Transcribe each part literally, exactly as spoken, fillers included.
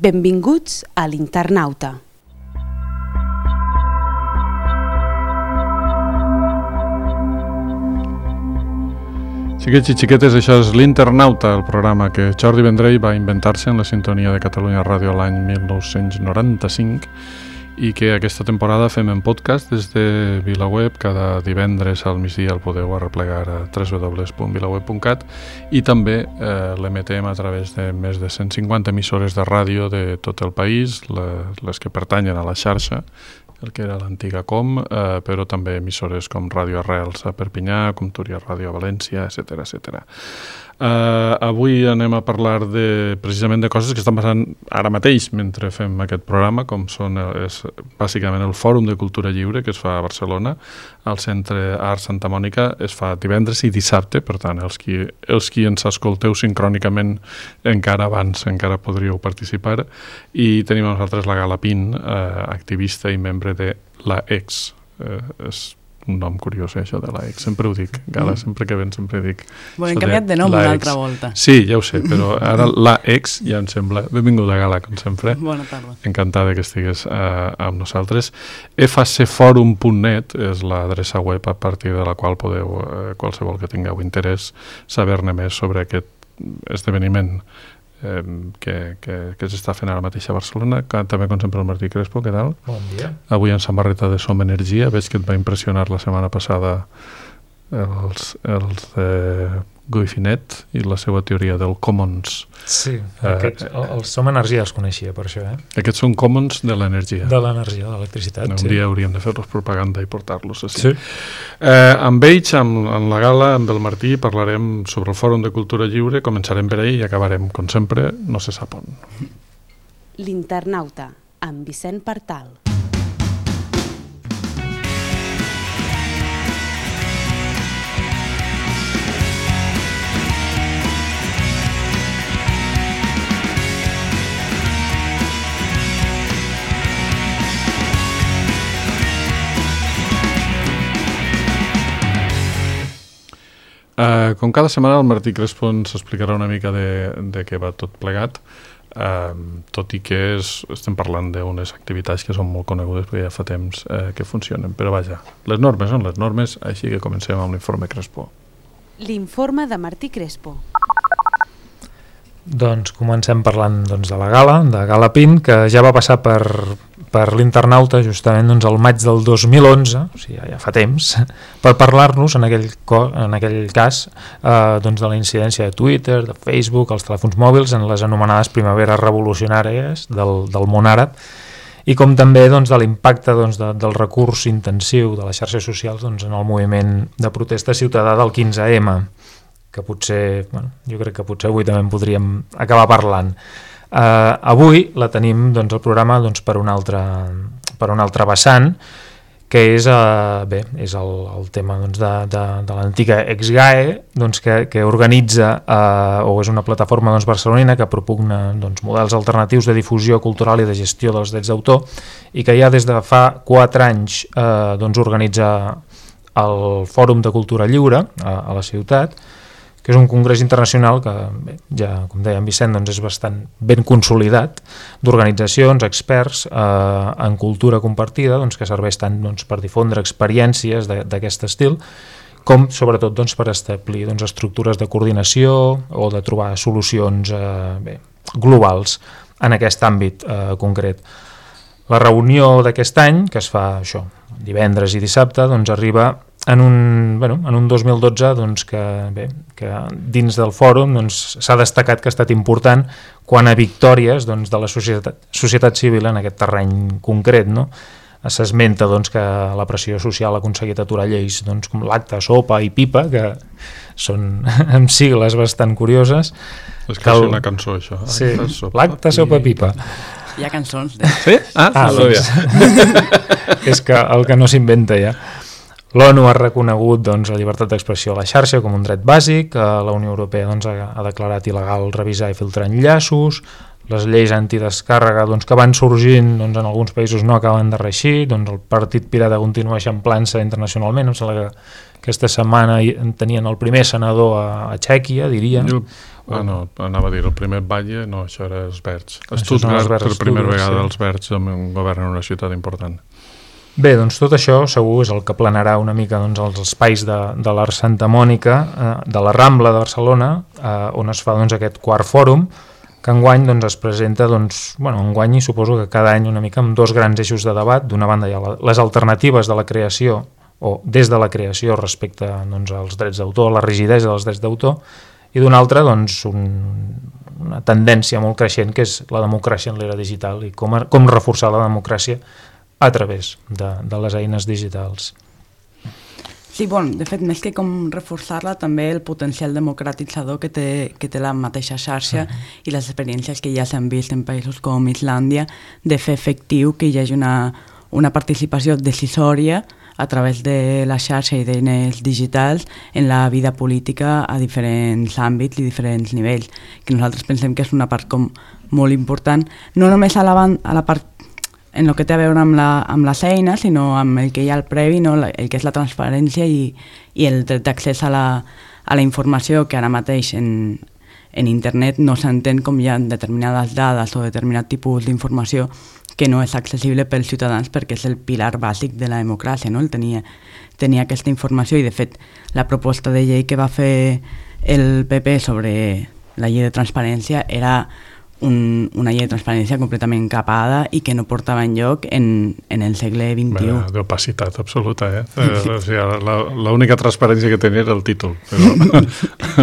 Benvinguts a l'Internauta. Xiquets i xiquetes, això és l'Internauta, el programa que Jordi Vendrell va inventar-se en la sintonia de Catalunya Ràdio l'any mil nou-cents noranta-cinc i que aquesta temporada fem en podcast des de VilaWeb. Cada divendres al migdia el podeu arreplegar a w w w punt vilaweb punt cat i també eh, l'emetem a través de més de cent cinquanta emissores de ràdio de tot el país, les, les que pertanyen a la xarxa, el que era l'antiga Com, eh, però també emissores com Ràdio Arrels a Perpinyà, com Túria Ràdio a València, etcètera, etcètera. Uh, avui anem a parlar de, precisament de coses que estan passant ara mateix mentre fem aquest programa, com són és, bàsicament el Fòrum de Cultura Lliure que es fa a Barcelona, al Centre Art Santa Mònica. Es fa divendres i dissabte, per tant, els qui, els qui ens escolteu sincrònicament encara abans, encara podríeu participar. I tenim a nosaltres la Gala Pin, eh, activista i membre de la Ex. Eh, és un nom curiós, eh, això de la Ex. Sempre ho dic, Gala, sempre que ven sempre dic. Bueno, hem canviat de nom una altra volta. Sí, ja ho sé, però ara la Ex ja em sembla... Benvinguda, Gala, com sempre. Bona tarda. Encantada que estigues uh, amb nosaltres. f a c forum punt net és l'adreça web a partir de la qual podeu, uh, qualsevol que tingueu interès, saber-ne més sobre aquest esdeveniment eh, que, que, que s'està fent ara mateix a Barcelona. També, com sempre, el Martí Crespo, què tal? Bon dia. Avui en samarreta de Som Energia. Veig que et va impressionar la setmana passada els, els de Guy Finet i la seva teoria del Commons. Sí, aquests, el, el Som Energia els coneixia per això, eh? Aquests són Commons de l'energia. De l'energia, de l'electricitat, un sí. dia hauríem de fer-los propaganda i portar-los així. Sí. Eh, amb ells, amb, amb la Gala, amb el Martí, parlarem sobre el Fòrum de Cultura Lliure. Començarem per ell i acabarem, com sempre, no se sap on. L'Internauta, amb Vicent Partal. Uh, com cada setmana el Martí Crespo ens explicarà una mica de, de què va tot plegat, uh, tot i que és, estem parlant d'unes activitats que són molt conegudes perquè ja fa temps uh, que funcionen, però vaja, les normes són les normes, així que comencem amb l'informe Crespo. L'informe de Martí Crespo. Doncs comencem parlant doncs, de la Gala, de Gala Pin, que ja va passar per, per l'Internauta justament doncs, el maig del dos mil onze, o sigui, ja, ja fa temps, per parlar-nos en aquell, en aquell cas eh, doncs, de la incidència de Twitter, de Facebook, els telèfons mòbils, en les anomenades primaveres revolucionàries del, del món àrab, i com també doncs, de l'impacte doncs, de, del recurs intensiu de les xarxes socials doncs, en el moviment de protesta ciutadà del quinze eme, que potser, bueno, jo crec que potser avui també en podríem acabar parlant. Uh, avui la tenim doncs, el programa doncs, per un altre, per un altre vessant, que és, uh, bé, és el, el tema doncs, de, de, de l'antiga ExGAE, doncs, que, que organitza, uh, o és una plataforma doncs, barcelonina que propugna doncs, models alternatius de difusió cultural i de gestió dels drets d'autor, i que ja des de fa quatre anys uh, doncs, organitza el Fòrum de Cultura Lliure a, a la ciutat, que és un congrés internacional que, bé, ja, com deia en Vicent, doncs és bastant ben consolidat, d'organitzacions, experts eh, en cultura compartida, doncs, que serveix tant doncs, per difondre experiències d'aquest estil, com sobretot doncs, per establir doncs, estructures de coordinació o de trobar solucions eh, bé, globals en aquest àmbit eh, concret. La reunió d'aquest any, que es fa això, divendres i dissabte, doncs arriba en un, bueno, en un dos mil dotze doncs, que, bé, que dins del fòrum doncs, s'ha destacat que ha estat important quan a victòries doncs, de la societat, societat civil en aquest terreny concret, no? S'esmenta doncs, que la pressió social ha aconseguit aturar lleis doncs, com l'acta, sopa i pipa, que són amb sigles bastant curioses. És quasi el... una cançó, això. Sí, l'acta, sopa, pipa. Hi ha cançons. De... Sí? Ah, ah doncs... és que el que no s'inventa ja. L'ONU ha reconegut doncs, la llibertat d'expressió a la xarxa com un dret bàsic, la Unió Europea doncs, ha, ha declarat il·legal revisar i filtrar enllaços, les lleis antidescàrrega doncs, que van sorgint doncs, en alguns països no acaben de reeixir, doncs el Partit Pirata continua eixamplant-se internacionalment, em sembla que aquesta setmana tenien el primer senador a, a Txèquia, diria. El, ah, no, anava a dir, el primer batlle, no, això era els Verds. Stuttgart, per primera vegada, sí. Els Verds governen una ciutat important. Bé, doncs tot això segur és el que planarà una mica doncs, els espais de, de l'Arc Santa Mònica, eh, de la Rambla de Barcelona, eh, on es fa doncs, aquest quart fòrum, que enguany doncs, es presenta, doncs, bueno, enguany i suposo que cada any una mica amb dos grans eixos de debat. D'una banda hi ha la, les alternatives de la creació, o des de la creació respecte doncs, als drets d'autor, la rigidesa dels drets d'autor, i d'una altra doncs, un, una tendència molt creixent que és la democràcia en l'era digital i com, com reforçar la democràcia a través de, de les eines digitals. Sí, bon, de fet, més que com reforçar-la, també el potencial democratitzador que té, que té la mateixa xarxa uh-huh. i les experiències que ja s'han vist en països com Islàndia de fer efectiu que hi hagi una, una participació decisòria a través de la xarxa i d'eines digitals en la vida política a diferents àmbits i diferents nivells, que nosaltres pensem que és una part com molt important, no només a la, a la part en el que té a veure amb, la, amb les eines, sinó amb el que hi ha al previ, no? El que és la transparència i, i el dret d'accés a, la, a la informació, que ara mateix en, en internet no s'entén com hi ha determinades dades o determinat tipus d'informació que no és accessible pels ciutadans perquè és el pilar bàsic de la democràcia, no? El tenir, tenir aquesta informació, i de fet la proposta de llei que va fer el P P sobre la llei de transparència era un, una llei de transparència completament capada i que no portava enlloc en, en el segle vint-i-u. D'opacitat absoluta, eh? O sigui, l'única transparència que tenia era el títol, però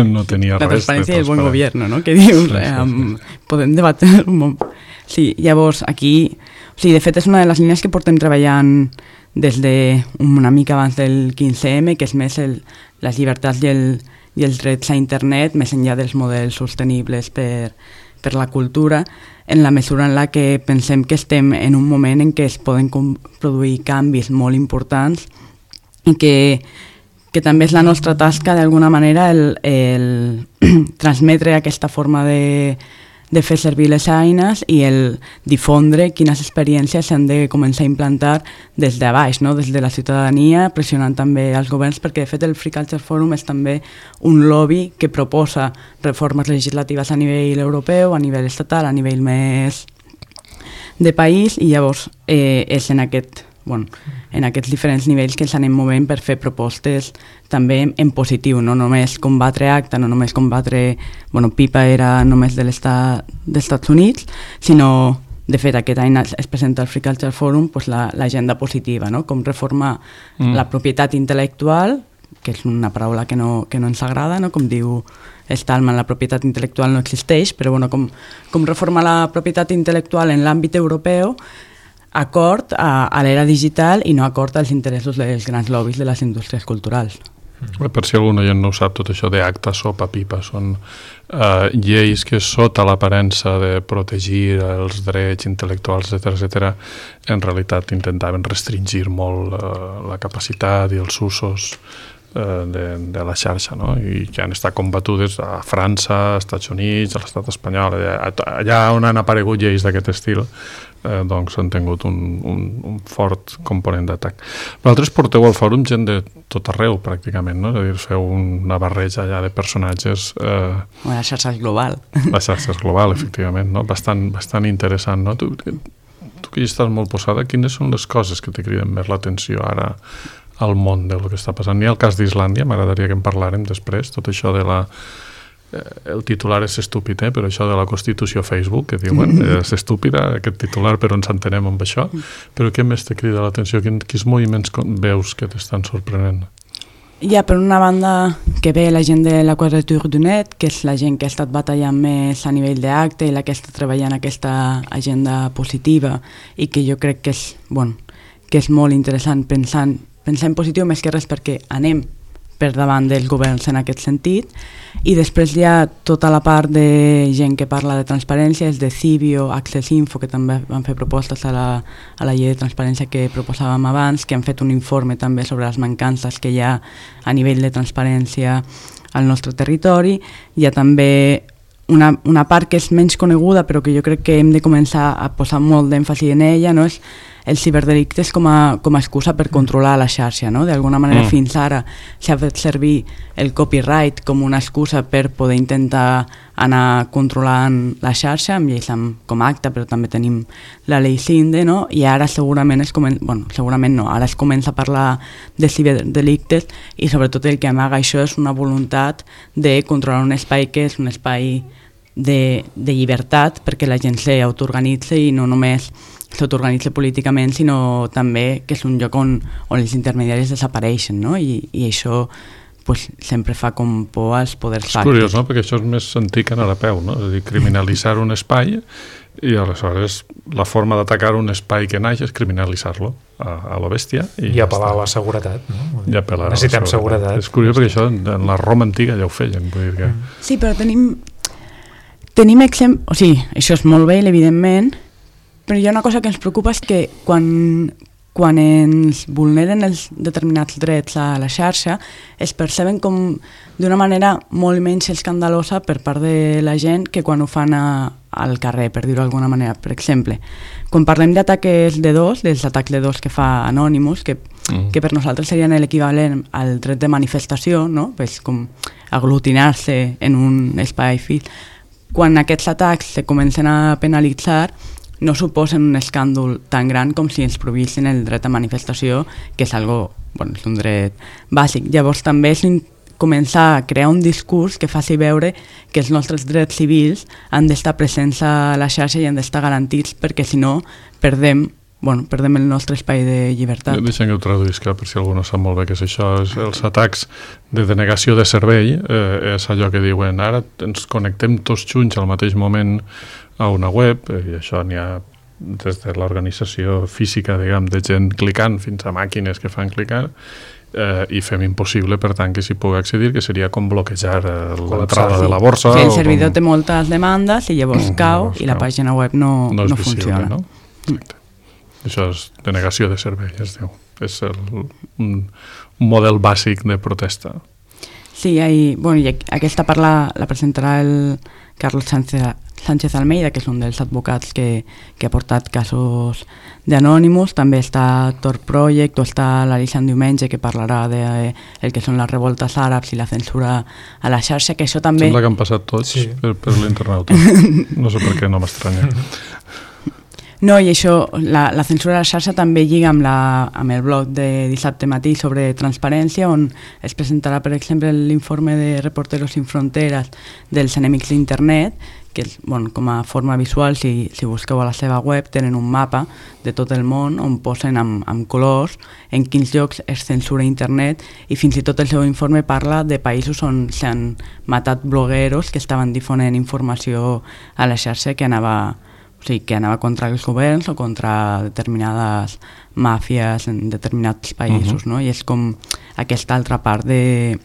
no tenia la res. La transparència i el bon govern, no? Que dius, eh? Um, podem debatre un moment. Sí, llavors aquí, o sigui, de fet és una de les línies que portem treballant des de una mica abans del quinze eme, que és més el, les llibertats i, el, i els drets a internet, més enllà dels models sostenibles per, per la cultura, en la mesura en la que pensem que estem en un moment en què es poden produir canvis molt importants i que, que també és la nostra tasca d'alguna manera el, el transmetre aquesta forma de de fer servir les eines i el difondre quines experiències s'han de començar a implantar des de baix, no? Des de la ciutadania, pressionant també els governs, perquè de fet el Free Culture Forum és també un lobby que proposa reformes legislatives a nivell europeu, a nivell estatal, a nivell més de país, i llavors eh, és en aquest bueno, en aquests diferents nivells que ens anem movent per fer propostes també en positiu, no només combatre ACTA, no només combatre, bueno, PIPA era només de l'estat dels Estats Units, sinó, de fet, aquest any es presenta al Free Culture Forum pues, l'agenda la, positiva, no? Com reformar mm. la propietat intel·lectual, que és una paraula que no, que no ens agrada, no? Com diu Stallman, la propietat intel·lectual no existeix, però bueno, com, com reformar la propietat intel·lectual en l'àmbit europeu acord a, a l'era digital i no acord als interessos dels grans lobbies de les indústries culturals. Mm. Per si algun oient no ho sap, tot això d'ACTA, SOPA, PIPA, són uh, lleis que sota l'aparença de protegir els drets intel·lectuals, etcètera, etcètera, en realitat intentaven restringir molt uh, la capacitat i els usos uh, de, de la xarxa, no? I que han estat combatudes a França, als Estats Units, a l'estat espanyol, allà, allà on han aparegut lleis d'aquest estil, Eh, doncs han tingut un, un, un fort component d'atac. Vosaltres porteu al fòrum gent de tot arreu, pràcticament, no? És a dir, feu una barreja allà de personatges... Eh, la xarxa és global. La xarxa és global, efectivament, no? Bastant, bastant interessant, no? Tu, tu que hi estàs molt posada, quines són les coses que te criden més l'atenció ara al món del que està passant? Hi ha el cas d'Islàndia, m'agradaria que en parlàrem després, tot això de la... el titular és estúpid, eh? Però això de la Constitució Facebook, que diuen, és estúpida aquest titular, però ens entenem amb això. Però què més te crida l'atenció? Quins moviments veus que t'estan sorprenent? Hi ha, per una banda, que ve la gent de la Quadrature du Net, que és la gent que ha estat batallant més a nivell d'acte i la que està treballant aquesta agenda positiva i que jo crec que és, bueno, que és molt interessant pensar, pensar en positiu més que res perquè anem per davant dels governs en aquest sentit, i després hi ha tota la part de gent que parla de transparència, és de Civio, Access Info, que també van fer propostes a la, a la llei de transparència que proposàvem abans, que han fet un informe també sobre les mancances que hi ha a nivell de transparència al nostre territori. Hi ha també una, una part que és menys coneguda però que jo crec que hem de començar a posar molt d'èmfasi en ella, no? És els ciberdelictes com a, com a excusa per controlar la xarxa, no? D'alguna manera mm. fins ara s'ha fet servir el copyright com una excusa per poder intentar anar controlant la xarxa, amb lleis com ACTA, però també tenim la llei CINDE, no? I ara segurament es comença, bueno, segurament no, ara es comença a parlar de ciberdelictes i sobretot el que amaga això és una voluntat de controlar un espai que és un espai de, de llibertat perquè la gent s'autoorganitza i no només s'autoorganitza políticament, sinó també que és un lloc on, on els intermediaris desapareixen, no? I, i això pues, sempre fa com por als poders fàctics. És curiós, no? Perquè això és més antic en Arapeu, no? És a dir, criminalitzar un espai i aleshores la forma d'atacar un espai que naix és criminalitzar-lo a, a la bèstia. I, I apel·lar a la seguretat, no? I apel·lar Necessitem a la seguretat. seguretat. És curiós perquè això en la Roma antiga ja ho feien. Vull dir que... Sí, però tenim, tenim exemple... O sigui, això és molt bé, evidentment, però hi ha una cosa que ens preocupa és que quan, quan ens vulneren els determinats drets a la xarxa es perceben com d'una manera molt menys escandalosa per part de la gent que quan ho fan a, al carrer, per dir-ho d'alguna manera. Per exemple, quan parlem d'atacs de dos, dels atacs de dos que fa Anonymous, que, mm. que per nosaltres serien l'equivalent al dret de manifestació, no? Pues com aglutinar-se en un espai físic, quan aquests atacs se comencen a penalitzar no suposen un escàndol tan gran com si ens prohibissin el dret a manifestació, que és algo, bueno, és un dret bàsic. Llavors també és començar a crear un discurs que faci veure que els nostres drets civils han d'estar presents a la xarxa i han d'estar garantits, perquè si no perdem, bueno, perdem el nostre espai de llibertat. Deixem que ho traduïsca per si algú no sap molt bé què és això. És els atacs de denegació de servei, eh, és allò que diuen ara ens connectem tots junts al mateix moment a una web, i això n'hi ha des de l'organització física, diguem, de gent clicant fins a màquines que fan clicar, eh, i fem impossible, per tant, que s'hi pugui accedir, que seria com bloquejar eh, l'entrada de la borsa. Sí, el servidor com... té moltes demandes i llavors mm, cau llavors, i la pàgina web no, no, no visible, funciona. No? Exacte. Mm. Això és denegació de servei, es diu. És el, un, un model bàsic de protesta. Sí, i, bueno, i aquesta part la, la presentarà el Carlos Sánchez, Sánchez Almeida, que és un dels advocats que, que ha portat casos d'Anonymous. També està Tor Project, o està l'Alixan Diumenge, que parlarà de eh, el que són les revoltes àrabs i la censura a la xarxa, que això també... Sembla que han passat tots sí. per, per l'internauta. No sé per què, no m'estranya. No, i això, la, la censura a la xarxa també lliga amb, la, amb el blog de dissabte matí sobre transparència, on es presentarà, per exemple, l'informe de Reporteros Sin Fronteras dels enemics d'internet, que és, bueno, com a forma visual, si, si busqueu a la seva web, tenen un mapa de tot el món on posen amb, amb colors en quins llocs es censura internet, i fins i tot el seu informe parla de països on s'han matat blogueros que estaven difonent informació a la xarxa que anava... O sigui, que anava contra els governs o contra determinades màfies en determinats països, uh-huh. no? I és com aquesta altra part de,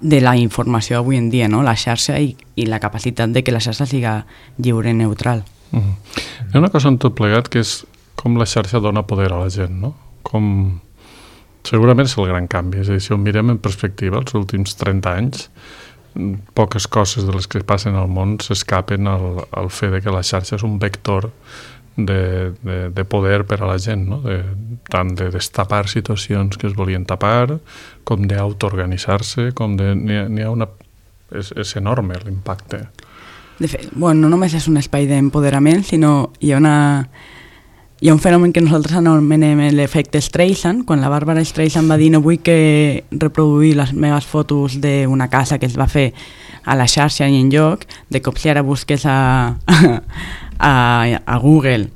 de la informació avui en dia, no? La xarxa i, i la capacitat de que la xarxa siga lliure i neutral. Uh-huh. Hi ha una cosa en tot plegat que és com la xarxa dona poder a la gent, no? Com... Segurament és el gran canvi, és a dir, si ho mirem en perspectiva, els últims trenta anys, poques coses de les que passen al món s'escapen al, al fet de que la xarxa és un vector de, de, de poder per a la gent, no? De, tant de destapar situacions que es volien tapar, com d'autoorganitzar-se, com de... N'hi ha, n'hi ha una... És, és enorme l'impacte. De fet, bueno, no només és un espai d'empoderament, sinó hi ha una... Hi ha un fenomen que nosaltres anomenem l'efecte Streisand, quan la Bàrbara Streisand va dir no vull que reproduir les meves fotos d'una casa que es va fer a la xarxa i en lloc, de cop si ara busques a, a, a Google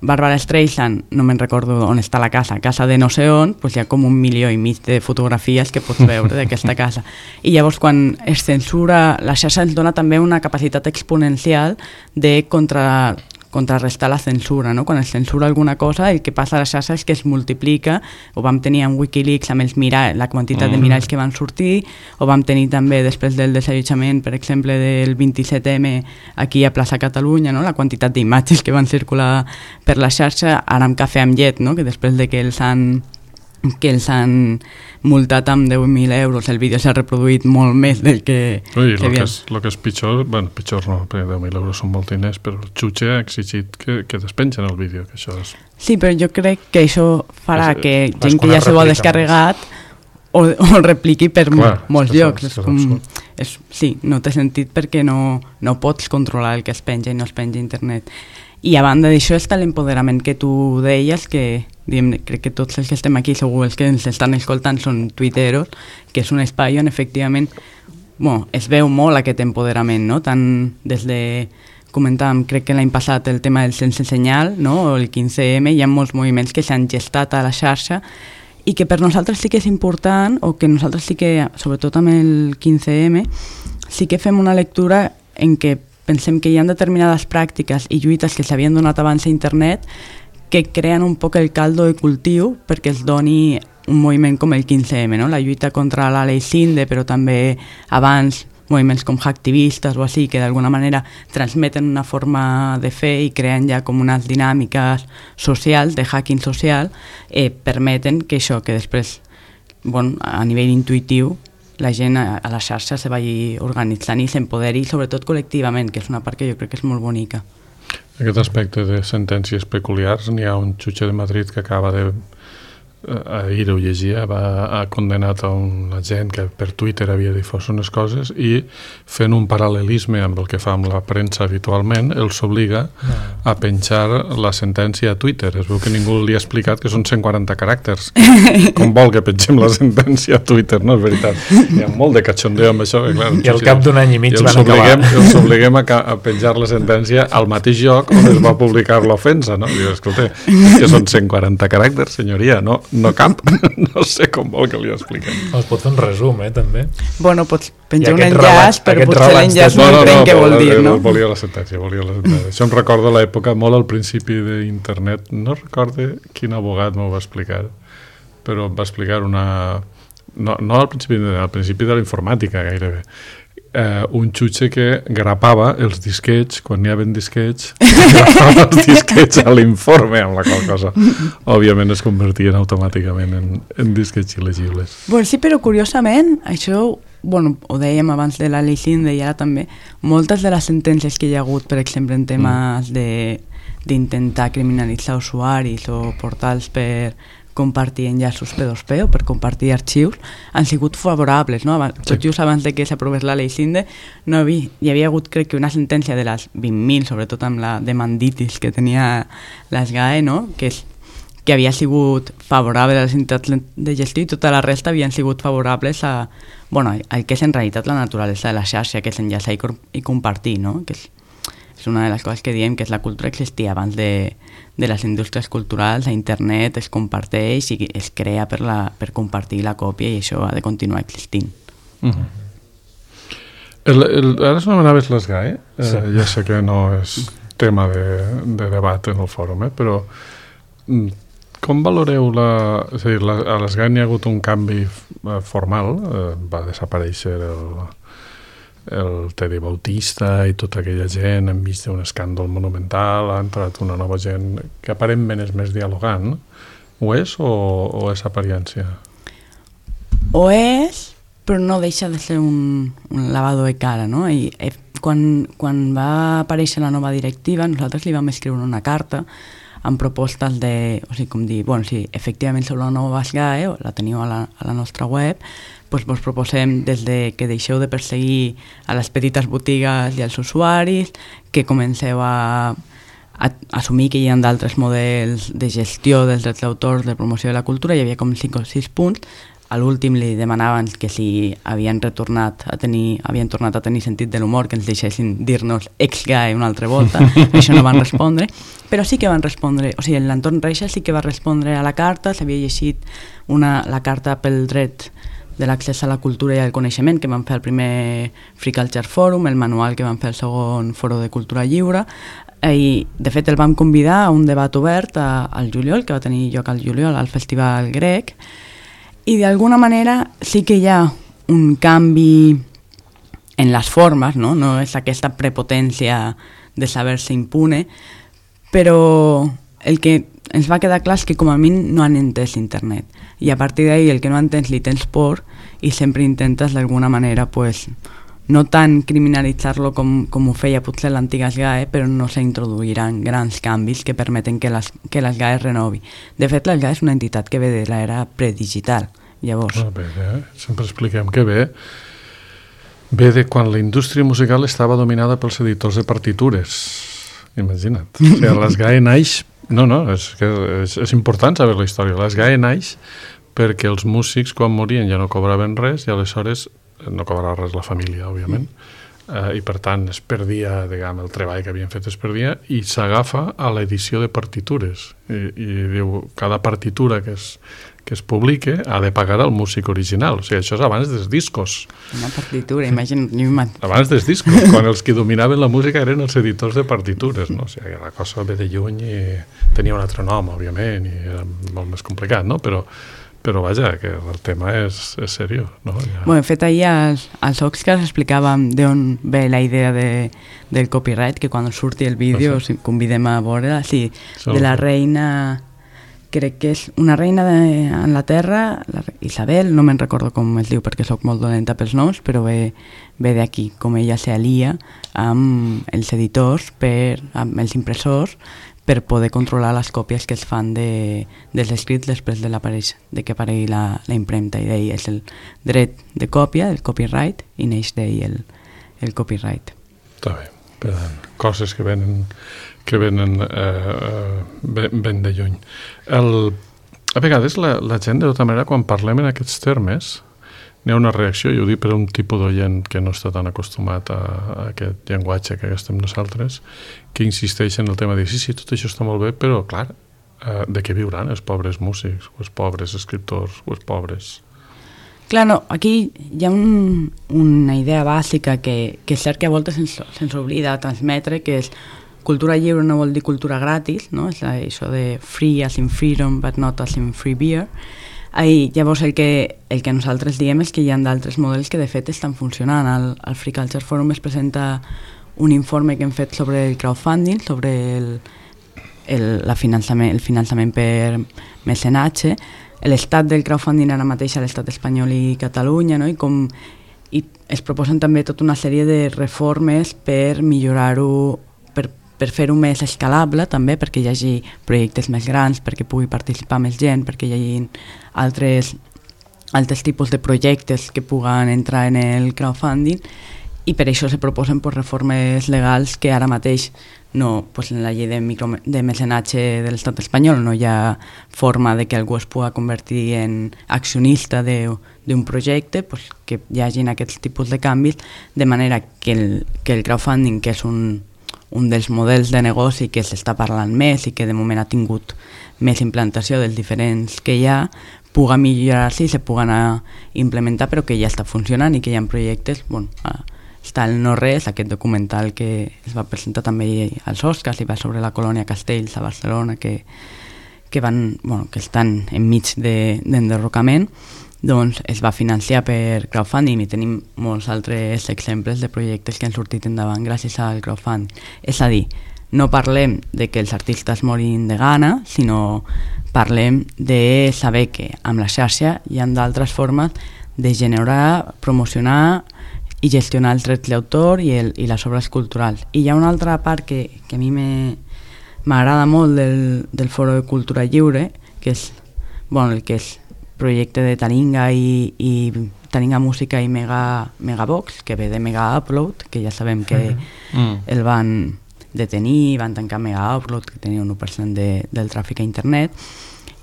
Bàrbara Streisand, no me'n recordo on està la casa, casa de no sé on, doncs hi ha com un milió i mig de fotografies que pots veure d'aquesta casa. I llavors quan es censura, la xarxa ens dona també una capacitat exponencial de contra... contrarrestar la censura, no? Quan es censura alguna cosa, el que passa a la xarxa és que es multiplica, ho vam tenir en Wikileaks amb els miralls, la quantitat mm. de miralls que van sortir, ho vam tenir també després del desallotjament, per exemple, del vint-i-set eme aquí a Plaça Catalunya, no? La quantitat d'imatges que van circular per la xarxa, ara amb cafè amb llet, no? Que després de que els han que els han multat amb deu mil euros, el vídeo s'ha reproduït molt més del que... Ui, que el que, és, el que és pitjor, bueno, pitjor no, perquè deu mil euros són molt diners, però el jutge ha exigit que, que despengen el vídeo, que això és... Sí, però jo crec que això farà és, que és gent que ja s'ho ha descarregat o, o repliqui per Clar, molts és llocs. És com, és, sí, no té sentit perquè no, no pots controlar el que es penja i no es penja a internet. I a banda d'això està l'empoderament que tu deies, que diguem, crec que tots els que estem aquí, segur els que ens estan escoltant són tuiteros, que és un espai on efectivament bueno, es veu molt aquest empoderament, no? Tant des de, comentàvem, crec que l'any passat el tema del sense senyal, no? O el quinze eme, hi ha molts moviments que s'han gestat a la xarxa i que per nosaltres sí que és important, o que nosaltres sí que, sobretot amb el quinze eme, sí que fem una lectura en què pensem que hi ha determinades pràctiques i lluites que s'havien donat abans a internet que creen un poc el caldo de cultiu perquè es doni un moviment com el quinze eme, no? La lluita contra la Lei Cinde, però també abans moviments com hacktivistes o així, que d'alguna manera transmeten una forma de fer i creen ja com unes dinàmiques socials, de hacking social, eh, permeten que això, que després, bueno, a nivell intuïtiu, la gent a la xarxa se vagi organitzant i s'empoderi, sobretot col·lectivament, que és una part que jo crec que és molt bonica. Aquest aspecte de sentències peculiars, n'hi ha un jutge de Madrid que acaba de... ahir ho llegia, va, ha condenat a una gent que per Twitter havia difós unes coses i fent un paral·lelisme amb el que fa amb la premsa habitualment, els obliga a penjar la sentència a Twitter. Es veu que ningú li ha explicat que són cent quaranta caràcters. Com vol que pengem la sentència a Twitter, no és veritat. Hi ha molt de cachondeo amb això. Clar, I al cap d'un any i mig i van acabar. I els obliguem a, a penjar la sentència al mateix lloc on es va publicar l'ofensa, no? Diu, escolta, és que són cent quaranta caràcters, senyoria, no? No cap, no sé com vol que li expliquem. Es pot fer un resum, eh, també. Bueno, pots penjar un aquest enllaç, relat- però aquest potser relat l'enllaç de- no, No, no, entenc no, què vol però, dir, eh, no? volia la sentència, volia la sentència. Això em recorda l'època, molt al principi d'internet, no recorde quin abogat m'ho va explicar, però em va explicar una... No, no al principi, al principi de la informàtica, gairebé. Eh, un jutge que grapava els disquets, quan n'hi havia disquets, grapava els disquets a l'informe, amb la qual cosa, òbviament, es convertien automàticament en, en disquets il·legibles. Bueno, sí, però curiosament, això, bueno, ho dèiem abans de la Lei Cinde i ara també, moltes de les sentències que hi ha hagut, per exemple, en temes de d'intentar criminalitzar usuaris o portals per compartir enllaços P dos P o per compartir arxius, han sigut favorables, no? Abans, tot just abans de que s'aprovés la Lei Cinde, no hi, hi havia hagut, crec que una sentència de les vint mil, sobretot amb la demanditis que tenia l'ESGAE, no? Que, és, que havia sigut favorable a les entitats de gestió i tota la resta havien sigut favorables a, bueno, al que és en realitat la naturalesa de la xarxa, que és enllaçar i, i compartir, no? Que és, és una de les coses que diem, que és la cultura existia abans de, de les indústries culturals, a internet es comparteix i es crea per, la, per compartir la còpia i això ha de continuar existint. Uh -huh. el, el, ara s'anomenaves l'ESGAE, eh, sí. Ja sé que no és tema de, de debat en el fòrum, eh, però com valoreu la... És a dir, la, a l'ESGAE n'hi ha hagut un canvi formal, eh, va desaparèixer el... el Tedi Bautista i tota aquella gent enmig d'un escàndol monumental, ha entrat una nova gent que aparentment és més dialogant. Ho és o, o és apariència? Ho és, però no deixa de ser un, un lavado de cara, no? I eh, quan, quan va aparèixer la nova directiva, nosaltres li vam escriure una carta amb propostes de, o sigui, com dir, bueno, si efectivament sou la nova ESGAE, la teniu a la, a la nostra web, doncs vos proposem des de que deixeu de perseguir a les petites botigues i als usuaris, que comenceu a, a assumir que hi ha d'altres models de gestió dels drets d'autor, de promoció de la cultura. Hi havia com cinc o sis punts. A l'últim li demanaven que si havien retornat a tenir, havien tornat a tenir sentit de l'humor, que ens deixessin dir-nos ex-GAE una altra volta. Això no van respondre, però sí que van respondre, o sigui, l'entorn Reixa sí que va respondre a la carta, s'havia llegit una, la carta pel dret de l'accés a la cultura i al coneixement que van fer el primer Free Culture Forum, el manual que van fer el segon Foro de Cultura Lliure, i de fet el vam convidar a un debat obert a, al juliol, que va tenir lloc al juliol al Festival Grec, i d'alguna manera sí que hi ha un canvi en les formes, no, no és aquesta prepotència de saber-se impune, però el que ens va quedar clar que com a mínim no han entès internet, i a partir d'ahí el que no entens li tens por i sempre intentes d'alguna manera pues, no tant criminalitzar-lo com, com ho feia potser l'antiga S G A E, però no s'introduiran grans canvis que permeten que, les, que l'S G A E es renovi. De fet, l'S G A E és una entitat que ve de l'era predigital. Llavors... Ah, bé, eh? Sempre expliquem que ve, ve de quan la indústria musical estava dominada pels editors de partitures. Imagina't. O sigui, l'S G A E naix... No, no, és, que és, és important saber la història. L'S G A E naix perquè els músics, quan morien, ja no cobraven res i aleshores no cobrava res la família, òbviament, mm. eh, i per tant es perdia, diguem, el treball que havien fet es perdia, i s'agafa a l'edició de partitures. I, i diu, cada partitura que es, que es publique ha de pagar el músic original. O sigui, això és abans dels discos. Una partitura, imagina't. Abans dels discos, quan els que dominaven la música eren els editors de partitures, no? O sigui, la cosa ve de lluny i tenia un altre nom, òbviament, i era molt més complicat, no? Però Però vaja, que el tema és, és seriós, no? Ja. Bueno, de fet, ahir als, als Oxcars explicàvem d'on ve la idea de, del copyright, que quan surti el vídeo, ah, sí? Convidem a veure, sí, de la reina, crec que és una reina d'Anglaterra, Isabel, no me'n recordo com es diu perquè sóc molt dolenta pels noms, però ve, ve d'aquí, com ella s'alia amb els editors, per, amb els impressors, per poder controlar les còpies que es fan de, dels escrits després de, de que aparegui la, la impremta, i d'ahir és el dret de còpia, el copyright, i neix d'ahir el, el copyright. Està bé, per tant, coses que venen, que venen eh, ben, ben de lluny. El, a vegades la, la gent, de tota manera, quan parlem en aquests termes, n'hi ha una reacció, i ho dic per un tipus d'oient que no està tan acostumat a, a aquest llenguatge que estem nosaltres, que insisteix en el tema de sí, sí, tot això està molt bé, però clar, eh, de què viuran els pobres músics, o els pobres escriptors, o els pobres... Clar, no, aquí hi ha un, una idea bàsica que, que és cert que a voltes se'ns, se'ns oblida transmetre, que és cultura lliure no vol dir cultura gratis, no? És això de free as in freedom, but not as in free beer. I llavors el que, el que nosaltres diem és que hi ha d'altres models que de fet estan funcionant. Al, al Free Culture Forum es presenta un informe que hem fet sobre el crowdfunding, sobre el, el, la finançament, el finançament per mecenatge, l'estat del crowdfunding ara mateix a l'estat espanyol i Catalunya, no? I, com, i es proposen també tota una sèrie de reformes per millorar-ho, per per fer-ho més escalable també, perquè hi hagi projectes més grans, perquè pugui participar més gent, perquè hi hagi altres, altres tipus de projectes que puguen entrar en el crowdfunding, i per això se proposen pues, reformes legals que ara mateix no, pues, en la llei de, micro, de mecenatge de l'estat espanyol no hi ha forma de que algú es pugui convertir en accionista d'un projecte, pues, que hi hagin aquests tipus de canvis, de manera que el, que el crowdfunding, que és un un dels models de negoci que s'està parlant més i que de moment ha tingut més implantació dels diferents que hi ha, puga millorar-se i se puguen implementar, però que ja està funcionant i que hi ha projectes, bueno, està el No Res, aquest documental que es va presentar també als Oscars i va sobre la colònia Castells a Barcelona, que, que, van, bueno, que estan enmig d'enderrocament, doncs es va financiar per crowdfunding i tenim molts altres exemples de projectes que han sortit endavant gràcies al crowdfunding. És a dir, no parlem de que els artistes morin de gana, sinó parlem de saber que amb la xarxa hi ha d'altres formes de generar, promocionar i gestionar els drets d'autor i, el, i les obres culturals. I hi ha una altra part que, que a mi m'agrada molt del, del Foro de Cultura Lliure, que és, bueno, el que és projecte de Taringa i, i Taringa Música i Mega, Megabox, que ve de Mega Upload, que ja sabem que mm. el van detenir, van tancar Mega Upload, que tenia un u per cent de, del tràfic a internet,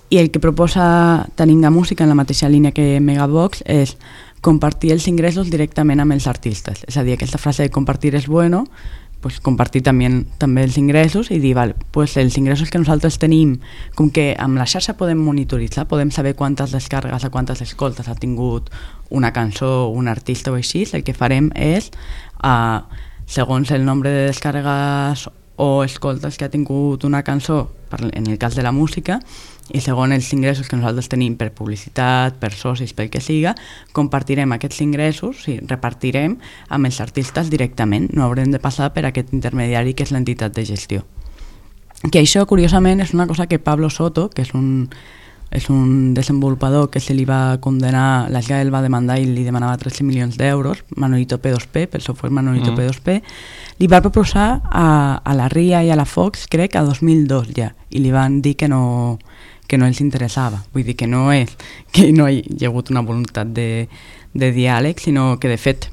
i el que proposa Taringa Música en la mateixa línia que Megabox és compartir els ingressos directament amb els artistes. És a dir, aquesta frase de compartir és bueno, pues compartir també, també els ingressos i dir, vale, pues els ingressos que nosaltres tenim, com que amb la xarxa podem monitoritzar, podem saber quantes descargues o quantes escoltes ha tingut una cançó, un artista o així, el que farem és, uh, segons el nombre de descargues o escoltes que ha tingut una cançó, en el cas de la música, i segons els ingressos que nosaltres tenim per publicitat, per socis, pel que siga, compartirem aquests ingressos i repartirem amb els artistes directament. No haurem de passar per aquest intermediari que és l'entitat de gestió. que això, curiosament, és una cosa que Pablo Soto, que és un, és un desenvolupador que se li va condenar, la S G A E el va demandar i li demanava tretze milions d'euros, Manolito P dos P, pel software Manolito mm. P dos P, li va proposar a, a la R I A i a la Fox, crec, a dos mil dos ja, i li van dir que no, que no els interessava. Vull dir que no és que no hi ha hagut una voluntat de, de diàleg, sinó que, de fet,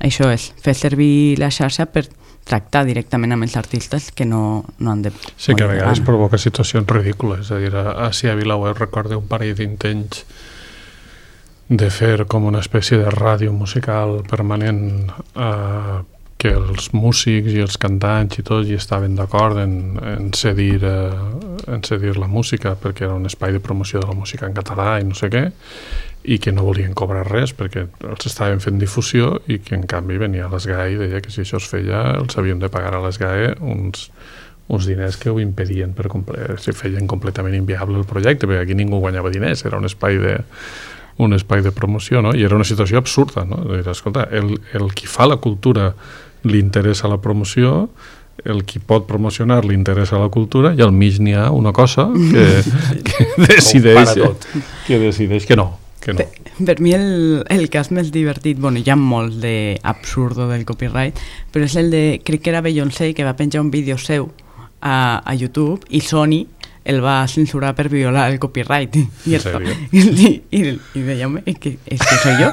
això és fer servir la xarxa per tractar directament amb els artistes que no, no han de... Sí, que a vegades provoca situacions ridícules. És a dir, a, a VilaWeb recordo un parell d'intents de fer com una espècie de ràdio musical permanent, eh, que els músics i els cantants i tot hi estaven d'acord en, en, cedir, eh, en cedir la música, perquè era un espai de promoció de la música en català i no sé què, i que no volien cobrar res perquè els estaven fent difusió, i que en canvi venia a l'S G A E i deia que si això es feia els havien de pagar a l'S G A E uns, uns diners que ho impedien, per comple- si feien completament inviable el projecte, perquè aquí ningú guanyava diners, era un espai de, un espai de promoció, no? I era una situació absurda, no? Dir, escolta, el, el qui fa la cultura li interessa la promoció, el qui pot promocionar li interessa la cultura, i al mig n'hi ha una cosa que, que decideix que decideix que no. Que no. Per, per mi el, el cas més divertit, bueno, hi ha molts d'absurdo del copyright, però és el de, crec que era Beyoncé, que va penjar un vídeo seu a, a YouTube, i Sony el va censurar per violar el copyright. I, esto, i, i, i, i deia, és que, és que soy jo.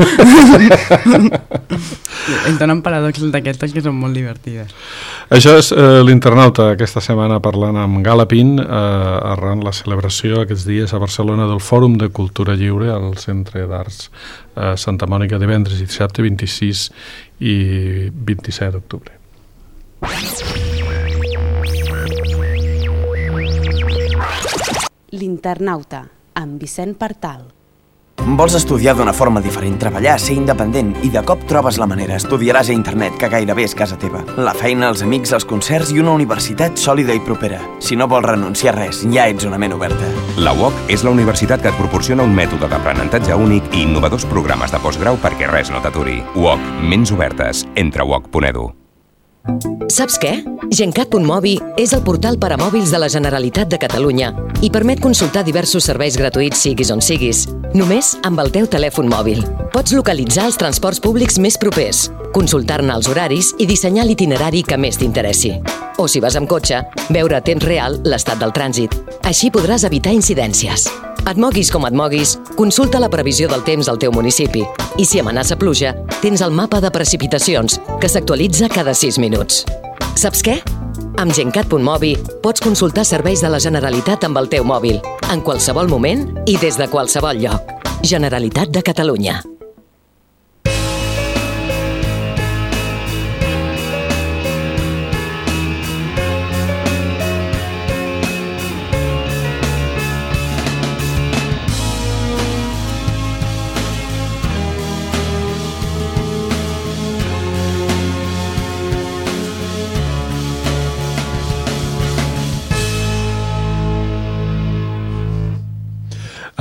Es donen paradoxes d'aquestes que són molt divertides. Això és eh, l'Internauta, aquesta setmana parlant amb Galapin, eh, arran la celebració aquests dies a Barcelona del Fòrum de Cultura Lliure al Centre d'Arts eh, Santa Mònica, divendres i dissabte vint-i-sis i vint-i-set d'octubre. L'Internauta, amb Vicent Partal. Vols estudiar d'una forma diferent, treballar, ser independent, i de cop trobes la manera. Estudiaràs a internet, que gairebé és casa teva. La feina, els amics, els concerts i una universitat sòlida i propera. Si no vols renunciar a res, ja ets una ment oberta. La U O C és la universitat que et proporciona un mètode d'aprenentatge únic i innovadors programes de postgrau perquè res no t'aturi. U O C, ments obertes. Entra a u o c punt e d u. Saps què? Gencat punt mobi és el portal per a mòbils de la Generalitat de Catalunya i permet consultar diversos serveis gratuïts siguis on siguis, només amb el teu telèfon mòbil. Pots localitzar els transports públics més propers, consultar-ne els horaris i dissenyar l'itinerari que més t'interessi. O si vas amb cotxe, veure a temps real l'estat del trànsit. Així podràs evitar incidències. Et moguis com et moguis, consulta la previsió del temps al teu municipi. I si amenaça pluja, tens el mapa de precipitacions, que s'actualitza cada sis minuts. Saps què? Amb Gencat punt mobi pots consultar serveis de la Generalitat amb el teu mòbil, en qualsevol moment i des de qualsevol lloc. Generalitat de Catalunya.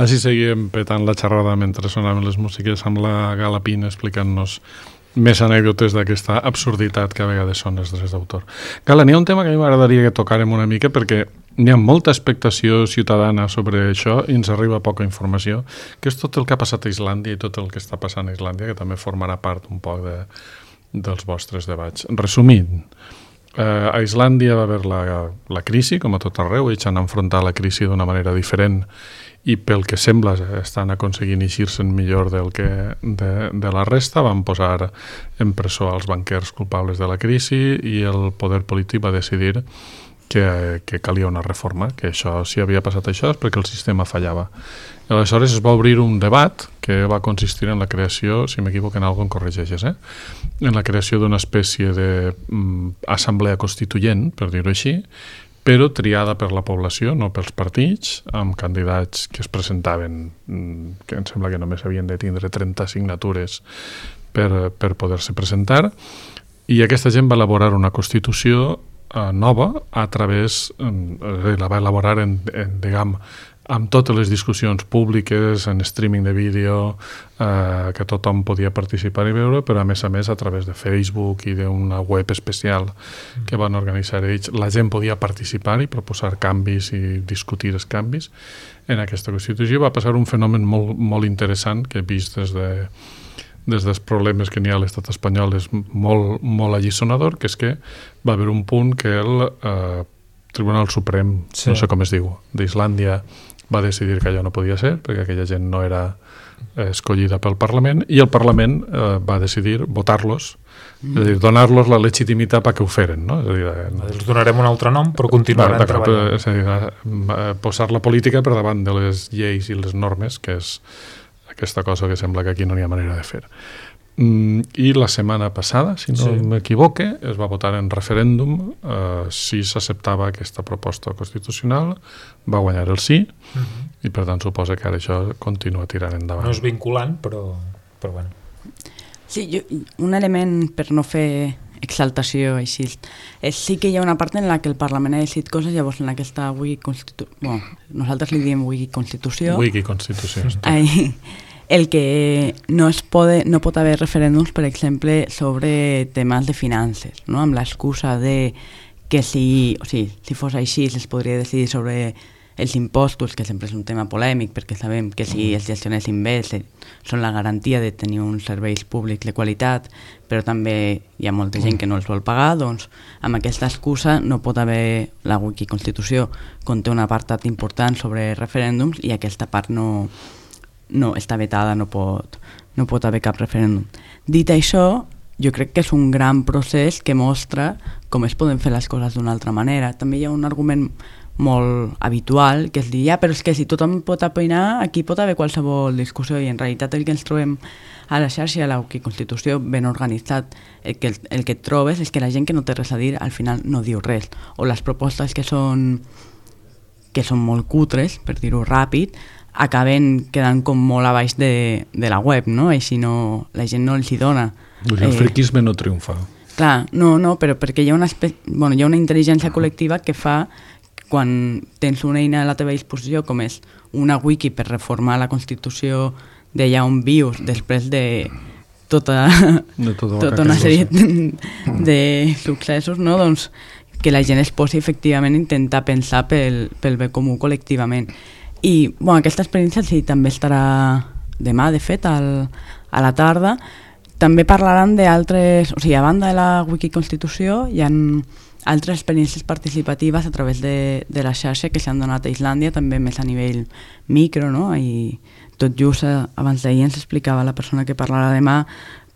Així seguíem petant la xerrada mentre sonaven les músiques amb la Galapin explicant-nos més anècdotes d'aquesta absurditat que a vegades són els drets d'autor. Gala, n'hi ha un tema que a mi m'agradaria que tocàrem una mica perquè n'hi ha molta expectació ciutadana sobre això i ens arriba poca informació, que és tot el que ha passat a Islàndia i tot el que està passant a Islàndia, que també formarà part un poc de, dels vostres debats. Resumint, eh, a Islàndia va haver la, la crisi, com a tot arreu, ells han enfrontat la crisi d'una manera diferent i pel que sembla estan aconseguint eixir-se'n millor del que de, de la resta. Van posar en presó als banquers culpables de la crisi i el poder polític va decidir que, que calia una reforma, que això, si havia passat això és perquè el sistema fallava. I aleshores es va obrir un debat que va consistir en la creació, si m'equivoco en alguna cosa em corregeixes, eh? en la creació d'una espècie d'assemblea constituent, per dir-ho així, però triada per la població, no pels partits, amb candidats que es presentaven, que em sembla que només havien de tindre trenta signatures per, per poder-se presentar, i aquesta gent va elaborar una Constitució eh, nova a través, eh, la va elaborar en, en, diguem, amb totes les discussions públiques, en streaming de vídeo, eh, que tothom podia participar i veure, però a més a més a través de Facebook i d'una web especial que van organitzar ells, la gent podia participar i proposar canvis i discutir els canvis en aquesta Constitució. Va passar un fenomen molt, molt interessant que he vist des de des dels problemes que n'hi ha a l'estat espanyol és molt, molt allisonador, que és que va haver un punt que el eh, Tribunal Suprem, sí. no sé com es diu, d'Islàndia va decidir que allò no podia ser, perquè aquella gent no era eh, escollida pel Parlament, i el Parlament eh, va decidir votar-los, mm. és a dir, donar-los la legitimitat perquè ho feren, no? És a dir, eh, els donarem un altre nom, però continuaran treballant. És a dir, eh, posar la política per davant de les lleis i les normes, que és aquesta cosa que sembla que aquí no hi ha manera de fer. Mm, I la setmana passada, si no sí. m'equivoque, es va votar en referèndum eh, si s'acceptava aquesta proposta constitucional, va guanyar el sí, uh-huh. i per tant suposa que ara això continua tirant endavant. No és vinculant, però, però bueno. Sí, jo, un element per no fer exaltació així, és sí que hi ha una part en la que el Parlament ha decidit coses, llavors en aquesta Wikiconstitució, bueno, nosaltres li diem Wikiconstitució, Wikiconstitució, ai, el que no es pode, no pot haver referèndums, per exemple, sobre temes de finances, no? Amb l'excusa de que si, o sigui, si fos així es podria decidir sobre els impostos, que sempre és un tema polèmic, perquè sabem que si els gestionessin bé són la garantia de tenir uns serveis públics de qualitat, però també hi ha molta gent que no els vol pagar, doncs amb aquesta excusa no pot haver, la Wikiconstitució conté un apartat important sobre referèndums i aquesta part no, no està vetada, no pot, no pot haver cap referèndum. Dit això, jo crec que és un gran procés que mostra com es poden fer les coses d'una altra manera. També hi ha un argument molt habitual, que és dir, ja, però és que si tothom pot opinar, aquí pot haver qualsevol discussió, i en realitat el que ens trobem a la xarxa, a la Constitució ben organitzat, el que, el que et trobes és que la gent que no té res a dir al final no diu res, o les propostes que són que són molt cutres, per dir-ho ràpid, acaben quedant com molt a baix de, de la web, no? Així no, la gent no els hi dona. El eh, friquisme no triomfa. Clar, no, no, però perquè hi ha una, espe... bueno, hi ha una intel·ligència col·lectiva que fa quan tens una eina a la teva disposició, com és una wiki per reformar la Constitució d'allà on vius, després de tota, de tota, tota una sèrie de, de successos, no? Doncs que la gent es posi efectivament a intentar pensar pel, pel bé comú col·lectivament. I bueno, aquesta experiència sí, també estarà demà, de fet, al, a la tarda. També parlaran d'altres, o sigui, a banda de la Wikiconstitució, hi ha altres experiències participatives a través de, de la xarxa que s'han donat a Islàndia, també més a nivell micro, no? I tot just abans d'ahir ens explicava la persona que parlarà demà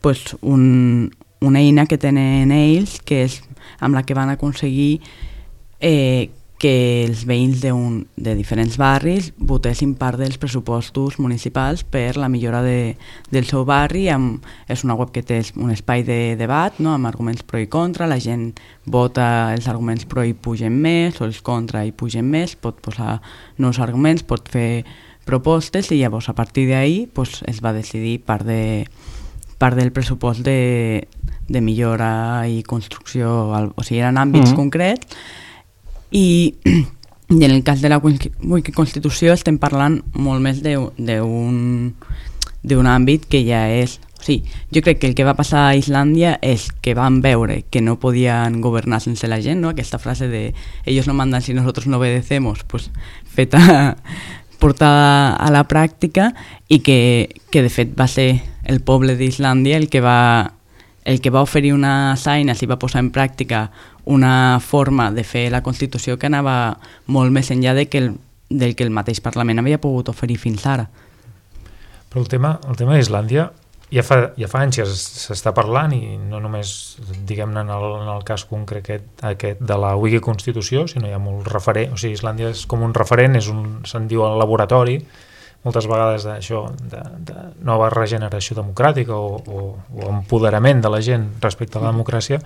pues, un, una eina que tenen ells, que és amb la que van aconseguir eh, que els veïns de, un, de diferents barris votessin part dels pressupostos municipals per la millora de, del seu barri. Amb, és una web que té un espai de debat, no? Amb arguments pro i contra, la gent vota els arguments pro i pugen més, o els contra i pugen més, pot posar nous arguments, pot fer propostes, i llavors a partir d'ahir pues, es va decidir part, de, part del pressupost de, de millora i construcció, o sigui, eren àmbits mm-hmm. concrets. I, i en el cas de la Wikiconstitució estem parlant molt més d'un d'un àmbit que ja és... O sigui, jo crec que el que va passar a Islàndia és que van veure que no podien governar sense la gent, no? Aquesta frase de ellos no mandan si nosotros no obedecemos, pues, feta, portada a la pràctica, i que, que de fet va ser el poble d'Islàndia el que va el que va oferir unes eines i va posar en pràctica una forma de fer la Constitució que anava molt més enllà de que el, del que el mateix Parlament havia pogut oferir fins ara. Però el tema, el tema d'Islàndia ja fa, ja fa anys que s'està parlant, i no només, diguem-ne, en el, en el cas concret aquest, aquest de la Wikiconstitució, sinó hi ha molt referent, o sigui, Islàndia és com un referent, és un, se'n diu el laboratori, moltes vegades d'això, de, de nova regeneració democràtica o, o, o empoderament de la gent respecte a la democràcia,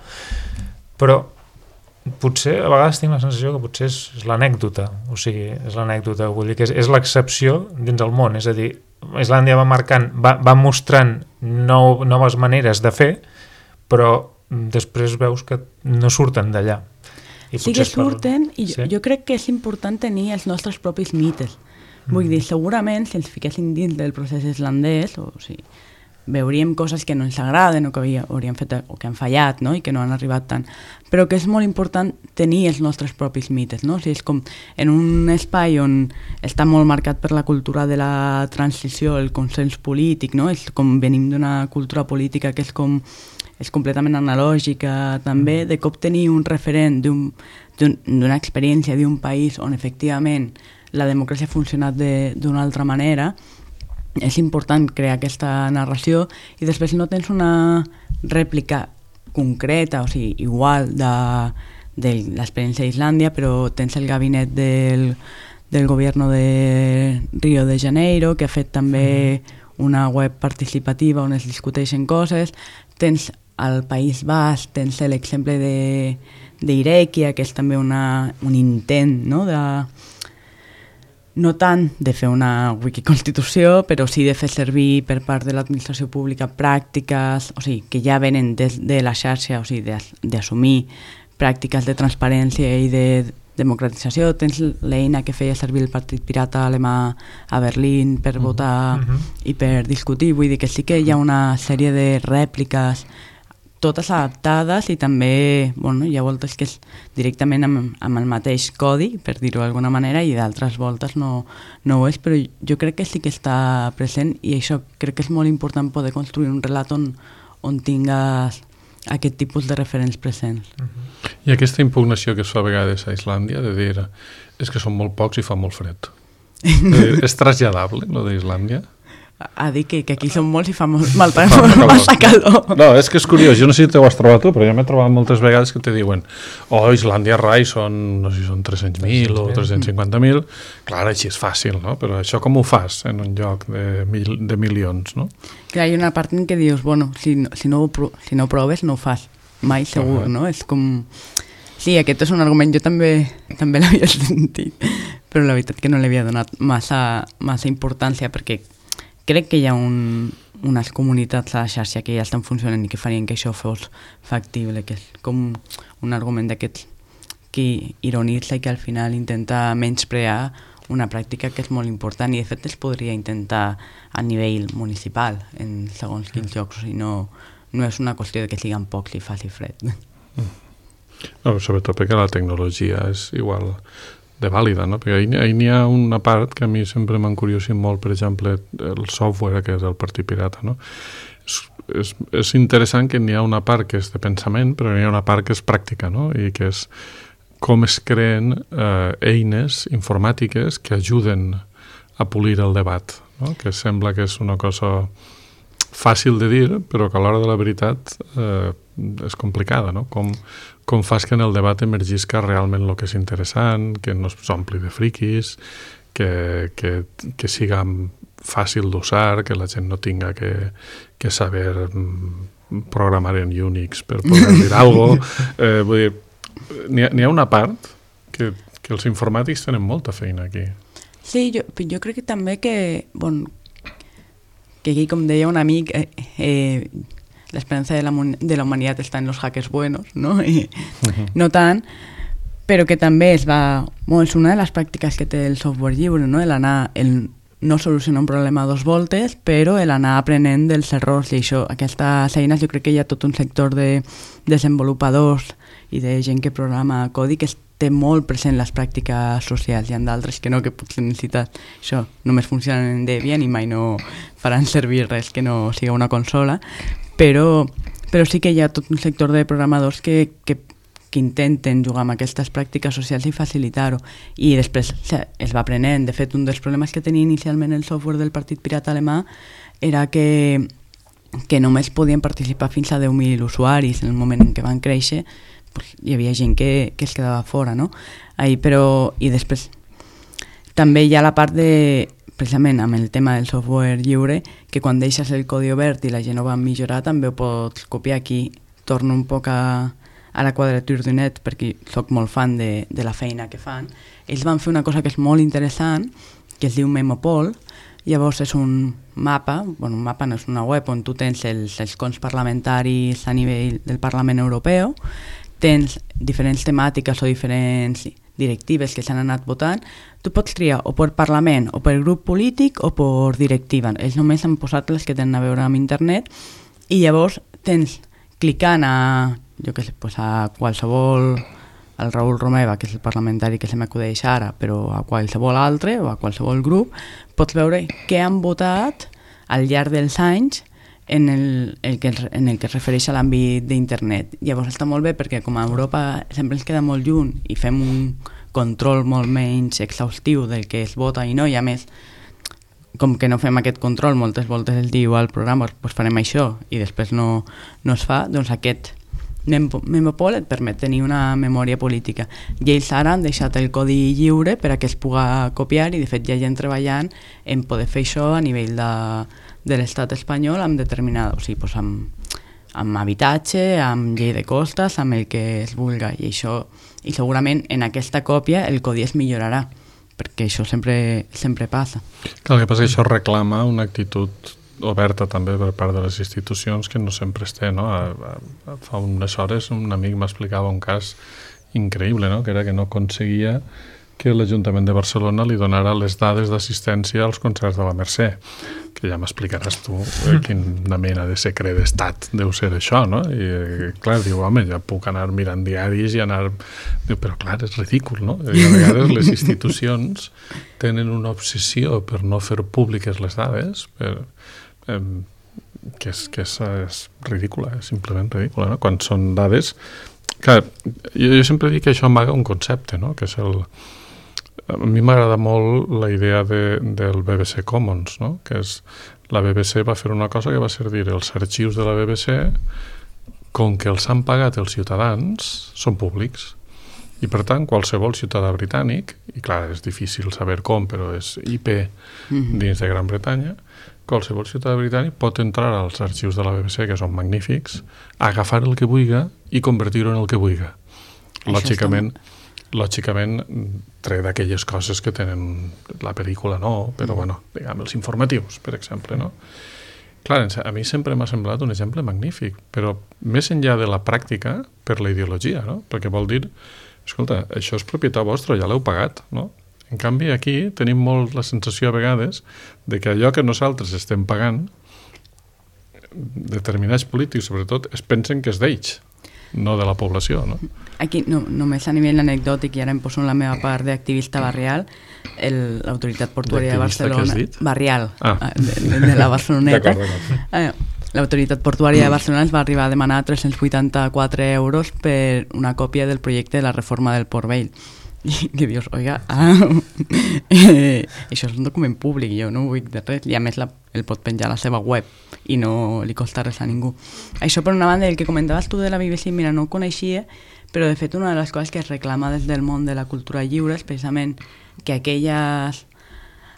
però potser a vegades tinc la sensació que potser és, és l'anècdota, o sigui, és l'anècdota, vull dir que és, és l'excepció dins el món, és a dir, Islàndia va marcant, va, va mostrant nou, noves maneres de fer, però després veus que no surten d'allà. Sí que surten, per... i jo, sí? jo crec que és important tenir els nostres propis mites. Vull dir, segurament, si ens fiquéssim dins del procés islandès, o sigui, veuríem coses que no ens agraden o que hauríem fet o que han fallat, no? I que no han arribat tant. Però que és molt important tenir els nostres propis mites, no? O sigui, és com en un espai on està molt marcat per la cultura de la transició, el consens polític, no? És com venim d'una cultura política que és com és completament analògica també, de cop tenir un referent d'un, d'un, d'una experiència d'un país on efectivament la democràcia ha funcionat d'una altra manera. És important crear aquesta narració i després no tens una rèplica concreta, o sigui, igual de, de l'experiència d'Islàndia, però tens el gabinet del, del govern de Rio de Janeiro, que ha fet també una web participativa on es discuteixen coses, tens al País Basc, tens l'exemple d'Irekia, que és també una, un intent, no?, de no tant de fer una wikiconstitució, però sí de fer servir per part de l'administració pública pràctiques, o sigui, que ja venen des de la xarxa, o sigui, d'assumir pràctiques de transparència i de democratització. Tens l'eina que feia servir el Partit Pirata alemà a Berlín per uh-huh. votar uh-huh. i per discutir. Vull dir que sí que hi ha una sèrie de rèpliques totes adaptades i també, bueno, hi ha voltes que és directament amb, amb el mateix codi, per dir-ho d'alguna manera, i d'altres voltes no, no ho és, però jo crec que sí que està present i això crec que és molt important poder construir un relat on, on tingues aquest tipus de referents presents. Uh-huh. I aquesta impugnació que es fa a vegades a Islàndia, de dir és que són molt pocs i fa molt fred. És traslladable, lo d'Islàndia? A dir que, que aquí són molts i fa molt, molta, massa calor. No, és que és curiós, jo no sé si t'ho has trobat tu, però jo m'he trobat moltes vegades que te diuen oh, Islàndia Rai són, no sé si són tres-cents mil o tres-cents cinquanta mil. Clar, així és fàcil, no? Però això com ho fas en un lloc de, mil, de milions, no? Clar, hi ha una part en què dius, bueno, si no, si no, si no proves no ho fas mai segur, uh-huh. no? És com... Sí, aquest és un argument, jo també també l'havia sentit, però la veritat que no li havia donat massa, massa importància perquè crec que hi ha un, unes comunitats a la xarxa que ja estan funcionant i que farien que això fos factible, que és com un argument d'aquests que ironitza i que al final intenta menysprear una pràctica que és molt important i de fet es podria intentar a nivell municipal en segons quins llocs, o sigui, no, no és una qüestió de que siguin pocs i faci fred. No, sobretot perquè la tecnologia és igual de vàlida, no? Perquè ahir n'hi ha una part que a mi sempre m'ha encuriosit molt, per exemple, el software que és el Partit Pirata, no? És, és, és interessant que n'hi ha una part que és de pensament, però n'hi ha una part que és pràctica, no? I que és com es creen eh, eines informàtiques que ajuden a polir el debat, no? Que sembla que és una cosa fàcil de dir, però que a l'hora de la veritat eh, és complicada, no? Com, com fas que en el debat emergisca realment el que és interessant, que no s'ompli de friquis, que, que, que siga fàcil d'usar, que la gent no tinga que, que saber programar en Unix per poder dir alguna cosa. Eh, vull dir, n'hi ha, n'hi ha una part que, que els informàtics tenen molta feina aquí. Sí, jo, jo crec que també que, bon, que aquí, com deia un amic, eh, eh, l'esperança de la, de la humanitat està en los hackers buenos, no? I uh-huh. no tant, però que també es va... Bueno, és una de les pràctiques que té el software lliure, no? El anar, el no solucionar un problema a dos voltes, però l'anar aprenent dels errors i això. Aquestes eines, jo crec que hi ha tot un sector de desenvolupadors i de gent que programa codi que té molt present les pràctiques socials. Hi ha d'altres que no, que potser necessites això, només funcionen en Debian i mai no faran servir res que no siga una consola, però, però sí que hi ha tot un sector de programadors que, que, que intenten jugar amb aquestes pràctiques socials i facilitar-ho. I després es va aprenent. De fet, un dels problemes que tenia inicialment el software del Partit Pirata alemà era que, que només podien participar fins a deu mil usuaris. En el moment en què van créixer, pues, hi havia gent que, que es quedava fora, no? Ahí, però, i després també hi ha la part de... precisament amb el tema del software lliure, que quan deixes el codi obert i la gent ho va millorar també ho pots copiar. Aquí torno un poc a, a la quadratura du net perquè soc molt fan de, de la feina que fan. Ells van fer una cosa que és molt interessant, que es diu Memopol. Llavors és un mapa, bueno, un mapa no és una web on tu tens els escons parlamentaris a nivell del Parlament Europeu, tens diferents temàtiques o diferents directives que s'han anat votant, tu pots triar o per Parlament, o per grup polític, o per directiva. Ells només han posat les que tenen a veure amb internet, i llavors tens, clicant a, jo què sé, pues a qualsevol, al Raül Romeva, que és el parlamentari que se m'acudeix ara, però a qualsevol altre, o a qualsevol grup, pots veure què han votat al llarg dels anys en el, el que, en el que es refereix a l'àmbit d'internet. Llavors està molt bé perquè com a Europa sempre ens queda molt lluny i fem un control molt menys exhaustiu del que es vota i no, i a més, com que no fem aquest control, moltes voltes es diu al programa, doncs farem això, i després no, no es fa, doncs aquest Memopol et permet tenir una memòria política. I ells ara han deixat el codi lliure per a que es pugui copiar, i de fet hi ha gent treballant en poder fer això a nivell de, de l'estat espanyol amb determinada, o sigui, doncs amb, amb habitatge, amb llei de costes, amb el que es vulga, i això, i segurament en aquesta còpia el codi es millorarà, perquè això sempre, sempre passa. Clar, el que passa és que això reclama una actitud oberta també per part de les institucions que no sempre es té, no? A, a, fa unes hores un amic m'explicava un cas increïble, no? Que era que no aconseguia que l'Ajuntament de Barcelona li donara les dades d'assistència als concerts de la Mercè, que ja m'explicaràs tu eh, quina mena de secret d'estat deu ser això, no? I eh, clar, diu, home, ja puc anar mirant diaris i anar... Diu, però clar, és ridícul, no? I a vegades les institucions tenen una obsessió per no fer públiques les dades, per... que és, que és, és ridícula, és simplement ridícula, no? Quan són dades... Clar, jo, jo sempre dic que això amaga un concepte, no? Que és el... A mi m'agrada molt la idea de, del B B C Commons, no? Que és... La B B C va fer una cosa que va ser dir els arxius de la B B C, com que els han pagat els ciutadans, són públics. I per tant, qualsevol ciutadà britànic, i clar, és difícil saber com, però és I P dins de Gran Bretanya, qualsevol ciutadà britànic pot entrar als arxius de la B B C, que són magnífics, agafar el que vulga i convertir-ho en el que vulga. Lògicament, lògicament tret d'aquelles coses que tenen la pel·lícula, no, però bueno, diguem, els informatius, per exemple, no? Clar, a mi sempre m'ha semblat un exemple magnífic, però més enllà de la pràctica, per la ideologia, no? Perquè vol dir, escolta, això és propietat vostra, ja l'heu pagat, no? En canvi, aquí tenim molt la sensació a vegades de que allò que nosaltres estem pagant, determinats polítics, sobretot, es pensen que és d'ells, no de la població, no? Aquí, no, només a nivell anecdòtic, i ara em poso en la meva part d'activista barrial, l'autoritat portuària de Barcelona... Barrial, ah. de, de la Barceloneta. Eh, l'autoritat portuària de Barcelona ens va arribar a demanar tres-cents vuitanta-quatre euros per una còpia del projecte de la reforma del Port Vell. I que dius, oiga, ah, eh, això és un document públic, jo no vull de res, i a més la, el pot penjar a la seva web i no li costa res a ningú. Això per una banda, el que comentaves tu de la B B C, mira, no ho coneixia, però de fet una de les coses que es reclama des del món de la cultura lliure és precisament que aquelles,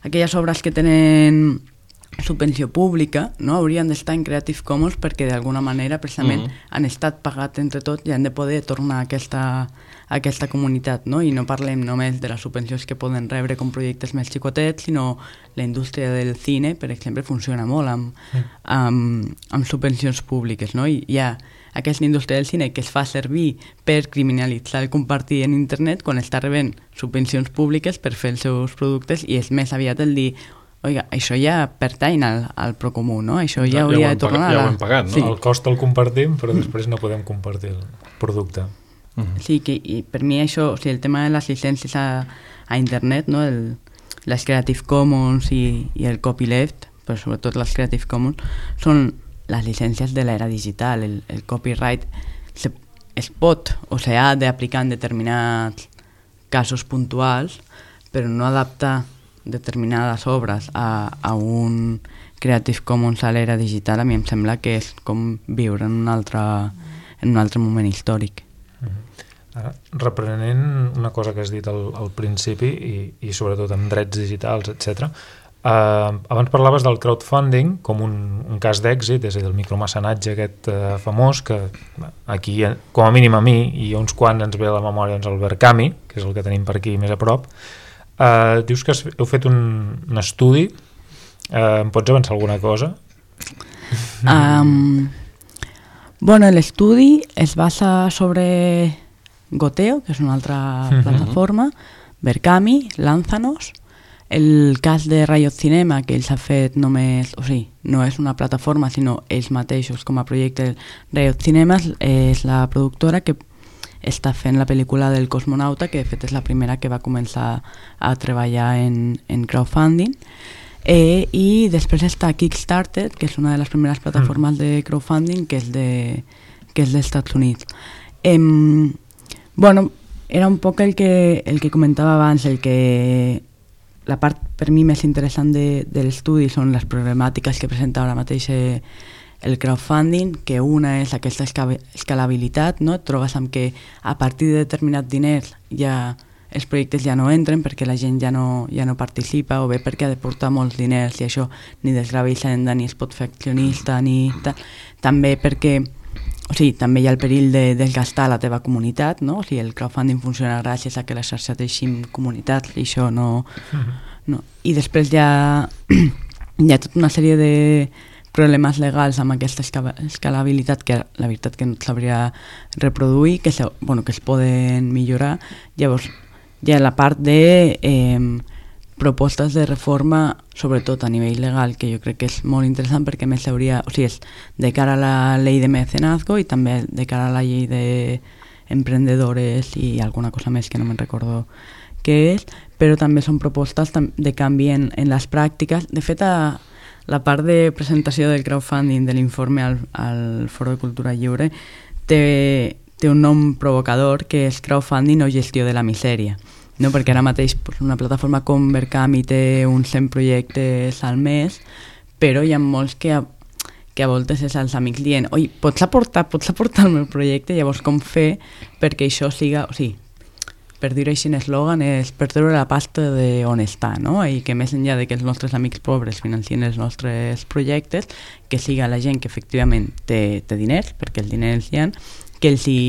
aquelles obres que tenen subvenció pública, no, haurien d'estar en Creative Commons perquè d'alguna manera precisament mm-hmm. han estat pagat entre tots i han de poder tornar a aquesta, a aquesta comunitat, no? I no parlem només de les subvencions que poden rebre com projectes més xicotets, sinó la indústria del cine, per exemple, funciona molt amb, mm. amb, amb subvencions públiques, no? I hi ha aquesta indústria del cine que es fa servir per criminalitzar el compartir en internet quan està rebent subvencions públiques per fer els seus productes, i és més aviat el dir, oiga, això ja pertany al, al procomú, no? Això ja, ja hauria de tornar pagat, a... Ja ho hem pagat, no? Sí. El cost el compartim, però després no podem compartir el producte. Uh-huh. Sí, que i per mi això, o sigui, el tema de les llicències a, a internet, no? El, les Creative Commons i, i el copyleft, però sobretot les Creative Commons, són les llicències de l'era digital. El, el copyright se, es pot o s'ha d'aplicar en determinats casos puntuals, però no adaptar determinades obres a, a un Creative Commons a l'era digital, a mi em sembla que és com viure en un altre, en un altre moment històric. Ara, reprenent una cosa que has dit al, al principi i, i sobretot amb drets digitals, etcètera, eh, abans parlaves del crowdfunding com un, un cas d'èxit, és a dir, el micromecenatge aquest eh, famós que aquí, com a mínim a mi i a uns quants ens ve a la memòria doncs, el Verkami, que és el que tenim per aquí més a prop. Uh, dius que heu fet un, un estudi, uh, em pots avançar alguna cosa? Um, bueno, l'estudi es basa sobre Goteo, que és una altra Mhm. plataforma, Berkami, Lanzanos, el cas de Riot Cinema, que ells ha fet només, o sigui, no és una plataforma, sinó ells mateixos com a projecte. Riot Cinema és la productora que està fent la pel·lícula del cosmonauta, que de fet és la primera que va començar a treballar en, en crowdfunding. Eh, I després està Kickstarter, que és una de les primeres plataformes de crowdfunding, que és de, que és dels Estats Units. Eh, bueno, era un poc el que, el que comentava abans, el que la part per mi més interessant de, de l'estudi són les problemàtiques que presenta ara mateix eh, el crowdfunding, que una és aquesta esca- escalabilitat, no? Et trobes amb que a partir de determinats diners ja els projectes ja no entren perquè la gent ja no, ja no participa, o bé perquè ha de portar molts diners i això ni desgrava Hisenda ni es pot fer accionista ni tal. També perquè o sigui, també hi ha el perill de desgastar la teva comunitat, no? O sigui, el crowdfunding funciona gràcies a que la xarxa teixim comunitats i això no, no. I després hi ha, hi ha tota una sèrie de problemes legals amb aquesta esca- escalabilitat que la veritat que no et sabria reproduir, que, se, bueno, que es poden millorar. Llavors hi ha la part de eh, propostes de reforma, sobretot a nivell legal, que jo crec que és molt interessant perquè més hauria, o sigui, és de cara a la llei de mecenazgo i també de cara a la llei d'emprendedores i alguna cosa més que no me'n recordo què és, però també són propostes de canvi en, en les pràctiques. De fet, a, la part de presentació del crowdfunding de l'informe al, al Foro de Cultura Lliure té, té un nom provocador que és crowdfunding o gestió de la misèria, no? Perquè ara mateix pues, una plataforma com Berkami té uns cent projectes al mes, però hi ha molts que a, que a voltes és als amics dient oi, pots aportar, pots aportar el meu projecte? Llavors com fer perquè això siga, o sigui, per dir-ho així en eslògan, és per treure la pasta d'on està, no? I que més enllà de que els nostres amics pobres financien els nostres projectes, que siga la gent que efectivament té, té diners, perquè els diners hi ha, que els hi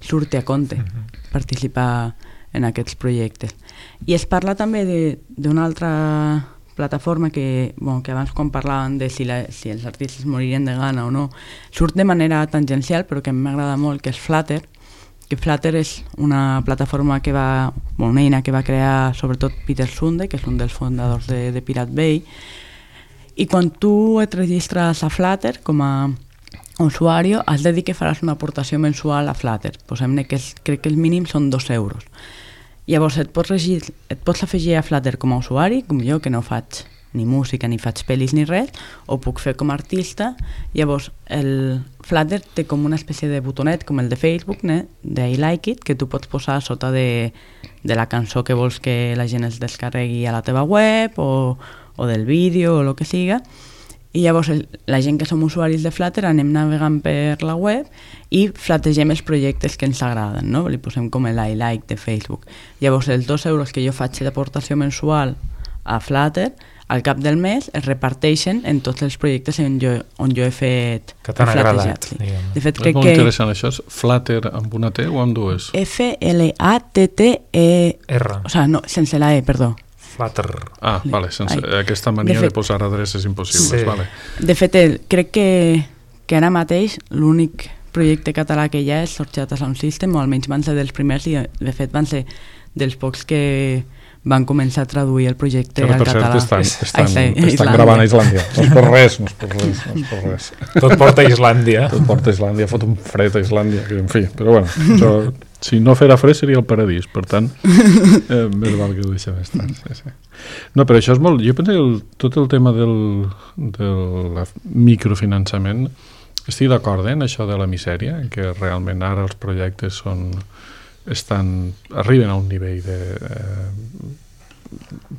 surti a compte uh-huh. participar en aquests projectes. I es parla també d'una altra plataforma que, bueno, que abans quan parlaven de si, la, si els artistes moririen de gana o no, surt de manera tangencial, però que a mi m'agrada molt, que és Flutter, que Flutter és una plataforma que va, bueno, una eina que va crear sobretot Peter Sunde, que és un dels fundadors de, de Pirate Bay, i quan tu et registres a Flutter com a usuari, has de dir que faràs una aportació mensual a Flutter. Posem-ne que és, crec que el mínim són dos euros. Llavors et pots, regir, et pots afegir a Flutter com a usuari, com jo, que no faig ni música, ni faig pel·lis ni res, o puc fer com a artista. Llavors el Flutter té com una espècie de botonet com el de Facebook, né? de I like it, que tu pots posar sota de, de la cançó que vols que la gent es descarregui a la teva web o, o del vídeo o el que siga. I llavors el, la gent que som usuaris de Flutter anem navegant per la web i flategem els projectes que ens agraden, no? Li posem com el I like de Facebook. Llavors els dos euros que jo faig d'aportació mensual a Flutter al cap del mes es reparteixen en tots els projectes on jo, on jo he fet que t'han agradat, sí. diguem. De fet, és crec molt que interessant això, és Flutter amb una T o amb dues? F L A T T E R. O sigui, no, sense la E, perdó. Flutter. Ah, vale, sense Ai. aquesta mania de, De fet- de posar adreces impossibles, Sí. vale. De fet, el, crec que, que ara mateix l'únic projecte català que hi ha és Sorgeta Sound System, o almenys van ser dels primers i de fet van ser dels pocs que van començar a traduir el projecte Que ara, al per català. cert, estan, estan, Ai, sí, estan Islàndia. gravant a Islàndia. No és per res, no és per res, no és per res. Tot porta a Islàndia. Tot porta a Islàndia, fot un fred a Islàndia, que, en fi, però bueno, això, si no fera fred seria el paradís, per tant, eh, més val que ho deixem estar. Sí, sí. No, però això és molt... Jo penso que el, tot el tema del, del microfinançament, estic d'acord eh, en això de la misèria, que realment ara els projectes són... estan, arriben a un nivell de... Eh,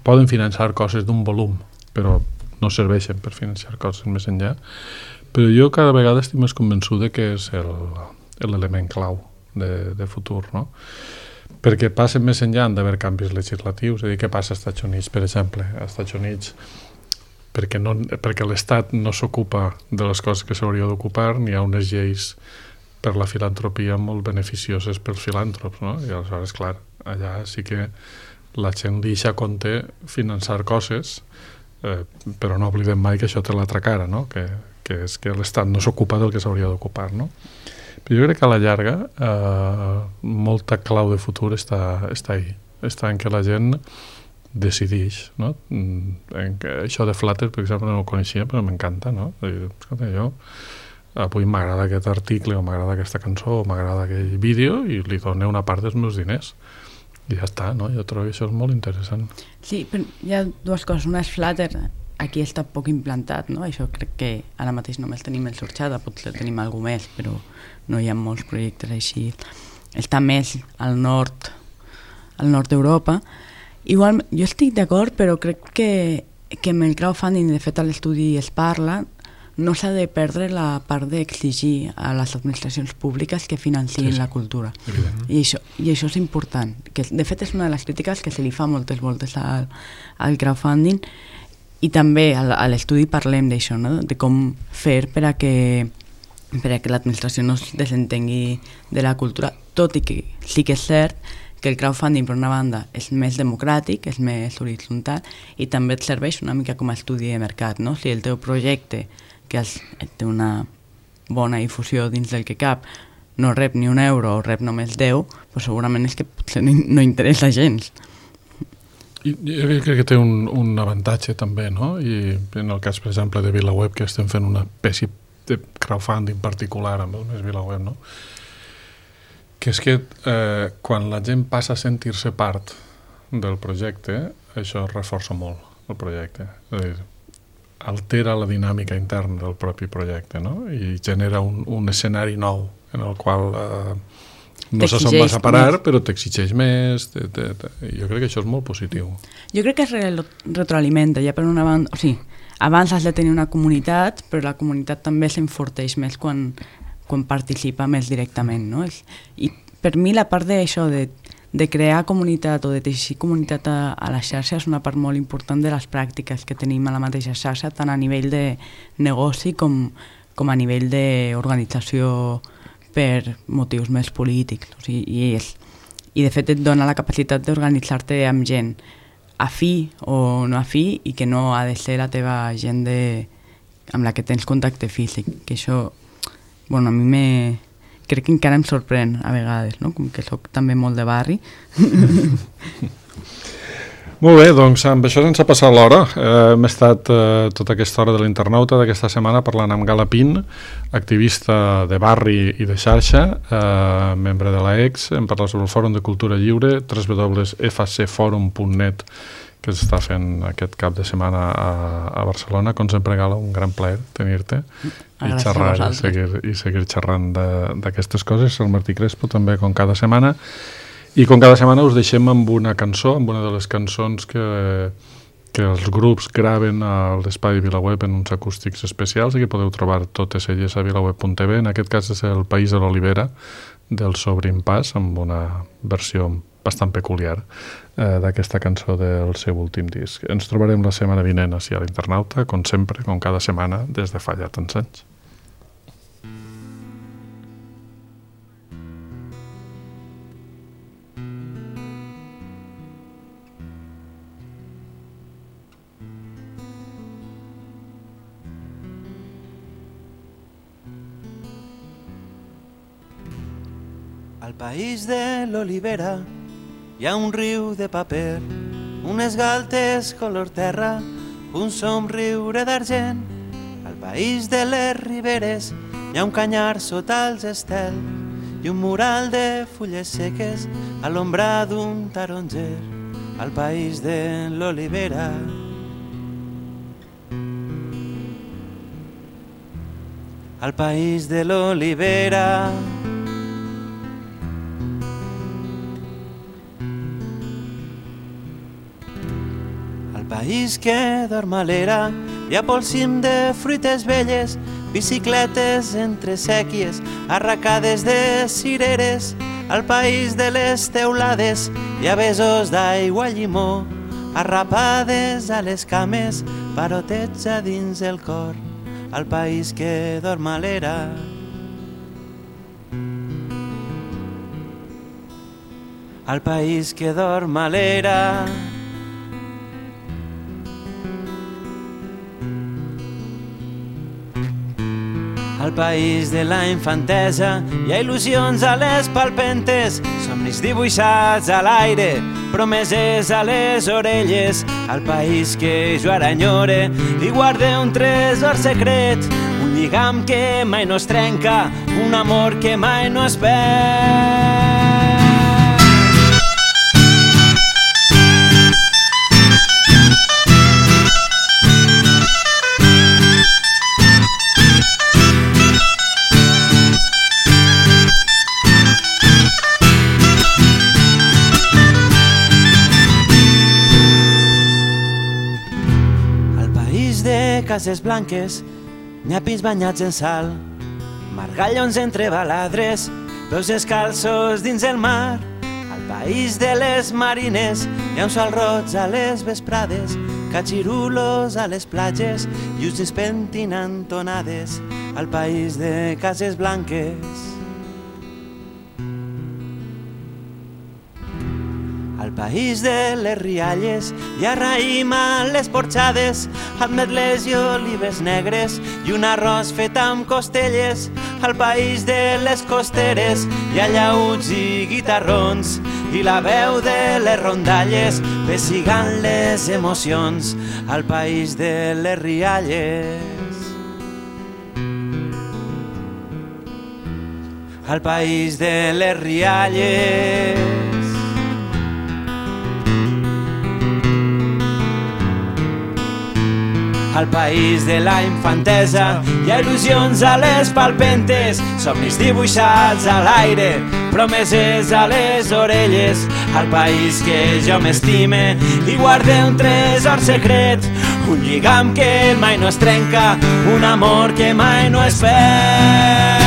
poden finançar coses d'un volum, però no serveixen per finançar coses més enllà. Però jo cada vegada estic més convençut de que és el, l'element clau de, de futur, no? Perquè passen més enllà d'haver canvis legislatius, és a dir, què passa als Estats Units, per exemple? Als Estats Units, perquè, no, perquè l'Estat no s'ocupa de les coses que s'hauria d'ocupar, n'hi ha unes lleis per la filantropia molt beneficioses pels filàntrops, no? I aleshores, clar, allà sí que la gent deixa a compte finançar coses, eh, però no oblidem mai que això té l'altra cara, no? Que, que és que l'Estat no s'ocupa del que s'hauria d'ocupar, no? Però jo crec que a la llarga eh, molta clau de futur està, està ahí. Està en què la gent decideix, no? En que això de Flutter, per exemple, no ho coneixia, però m'encanta, no? Escolta, jo avui m'agrada aquest article o m'agrada aquesta cançó o m'agrada aquell vídeo i li dono una part dels meus diners i ja està, no? Jo trobo que això és molt interessant. Sí, però hi ha dues coses. Una és Flutter, aquí està poc implantat, no? Això crec que ara mateix només tenim el Sorxada, potser tenim algú més, però no hi ha molts projectes així. Està més al nord, al nord d'Europa. Igual, jo estic d'acord, però crec que, que amb el crowdfunding, de fet a l'estudi es parla, no s'ha de perdre la part d'exigir a les administracions públiques que financin sí, sí. la cultura. I això, I això és important. Que, de fet, és una de les crítiques que se li fa moltes voltes al, al crowdfunding i també a, a l'estudi parlem d'això, no? De com fer per a que, per a que l'administració no es desentengui de la cultura, tot i que sí que és cert que el crowdfunding, per una banda, és més democràtic, és més horitzontal i també et serveix una mica com a estudi de mercat, no? Si el teu projecte que té una bona difusió dins del que cap, no rep ni un euro o rep només deu, doncs segurament és que potser no interessa gens. I jo crec que té un, un avantatge també, no? I en el cas, per exemple, de VilaWeb, que estem fent una espècie de crowdfunding particular amb el més VilaWeb, no? Que és que eh, quan la gent passa a sentir-se part del projecte, això reforça molt el projecte. És a dir, altera la dinàmica interna del propi projecte, no? I genera un, un escenari nou en el qual eh, no se se'n va a parar, però t'exigeix més. Te, te, te. Jo crec que això és molt positiu. Jo crec que es re retroalimenta, ja per una banda... O sigui, abans has de tenir una comunitat, però la comunitat també s'enforteix més quan, quan participa més directament, no? I per mi la part d'això, de de crear comunitat o de teixir comunitat a, a la xarxa és una part molt important de les pràctiques que tenim a la mateixa xarxa, tant a nivell de negoci com, com a nivell d'organització per motius més polítics. O sigui, i, és, I de fet et dona la capacitat d'organitzar-te amb gent afí o no afí i que no ha de ser la teva gent de, amb la que tens contacte físic, que això, bueno, a mi me... crec que encara em sorprèn a vegades, no? Com que soc també molt de barri. Molt bé, doncs amb això sense passar l'hora. Eh, hem estat eh, tota aquesta hora de l'internauta d'aquesta setmana parlant amb Gala Pin, activista de barri i de xarxa, eh, membre de l'A E X. Hem parlat sobre el Fòrum de Cultura Lliure, w w w punt f c forum punt net, que s'està fent aquest cap de setmana a, a Barcelona. Com sempre, Gala, un gran plaer tenir-te i xerrar i seguir, i seguir xerrant d'aquestes coses. El Martí Crespo també, com cada setmana. I com cada setmana us deixem amb una cançó, amb una de les cançons que, que els grups graven a l'espai VilaWeb en uns acústics especials i que podeu trobar totes elles a vilaweb punt t v. En aquest cas és El País de l'Olivera, del Sobrimpàs, amb una versió bastant peculiar eh, d'aquesta cançó del seu últim disc. Ens trobarem la setmana vinent així a l'Internauta, com sempre, com cada setmana, des de fa ja tants anys. Al país de l'olivera hi ha un riu de paper, unes galtes color terra, un somriure d'argent. Al país de les riberes hi ha un canyar sota els estels i un mural de fulles seques a l'ombra d'un taronger. Al país de l'olivera. Al país de l'olivera. País que dorm a l'era, hi ha pel cim de fruites velles, bicicletes entre sèquies, arracades de cireres. Al país de les teulades hi ha besos d'aigua i llimó, arrapades a les cames, parotets a dins el cor. Al país que dorm a l'era. Al país que dorm a l'era. al país de la infantesa hi ha il·lusions a les palpentes, somnis dibuixats a l'aire, promeses a les orelles, al país que jo ara enyore i guarde un tresor secret, un lligam que mai no es trenca, un amor que mai no es perd. Cases blanques, nyapis banyats en sal, margallons entre baladres, peus descalços dins el mar. Al país de les marines hi ha un sol roig a les vesprades, catxirulos a les platges i us despentinant tonades. Al país de cases blanques, al país de les rialles hi ha raïm a les porxades, ametles i olives negres i un arròs fet amb costelles. Al país de les costeres hi ha llauts i guitarrons i la veu de les rondalles pessigant les emocions. Al país de les rialles, al país de les rialles, al país de la infantesa hi ha il·lusions a les palpentes, somnis dibuixats a l'aire, promeses a les orelles, al país que jo m'estime i guarde un tresor secret, un lligam que mai no es trenca, un amor que mai no es perd.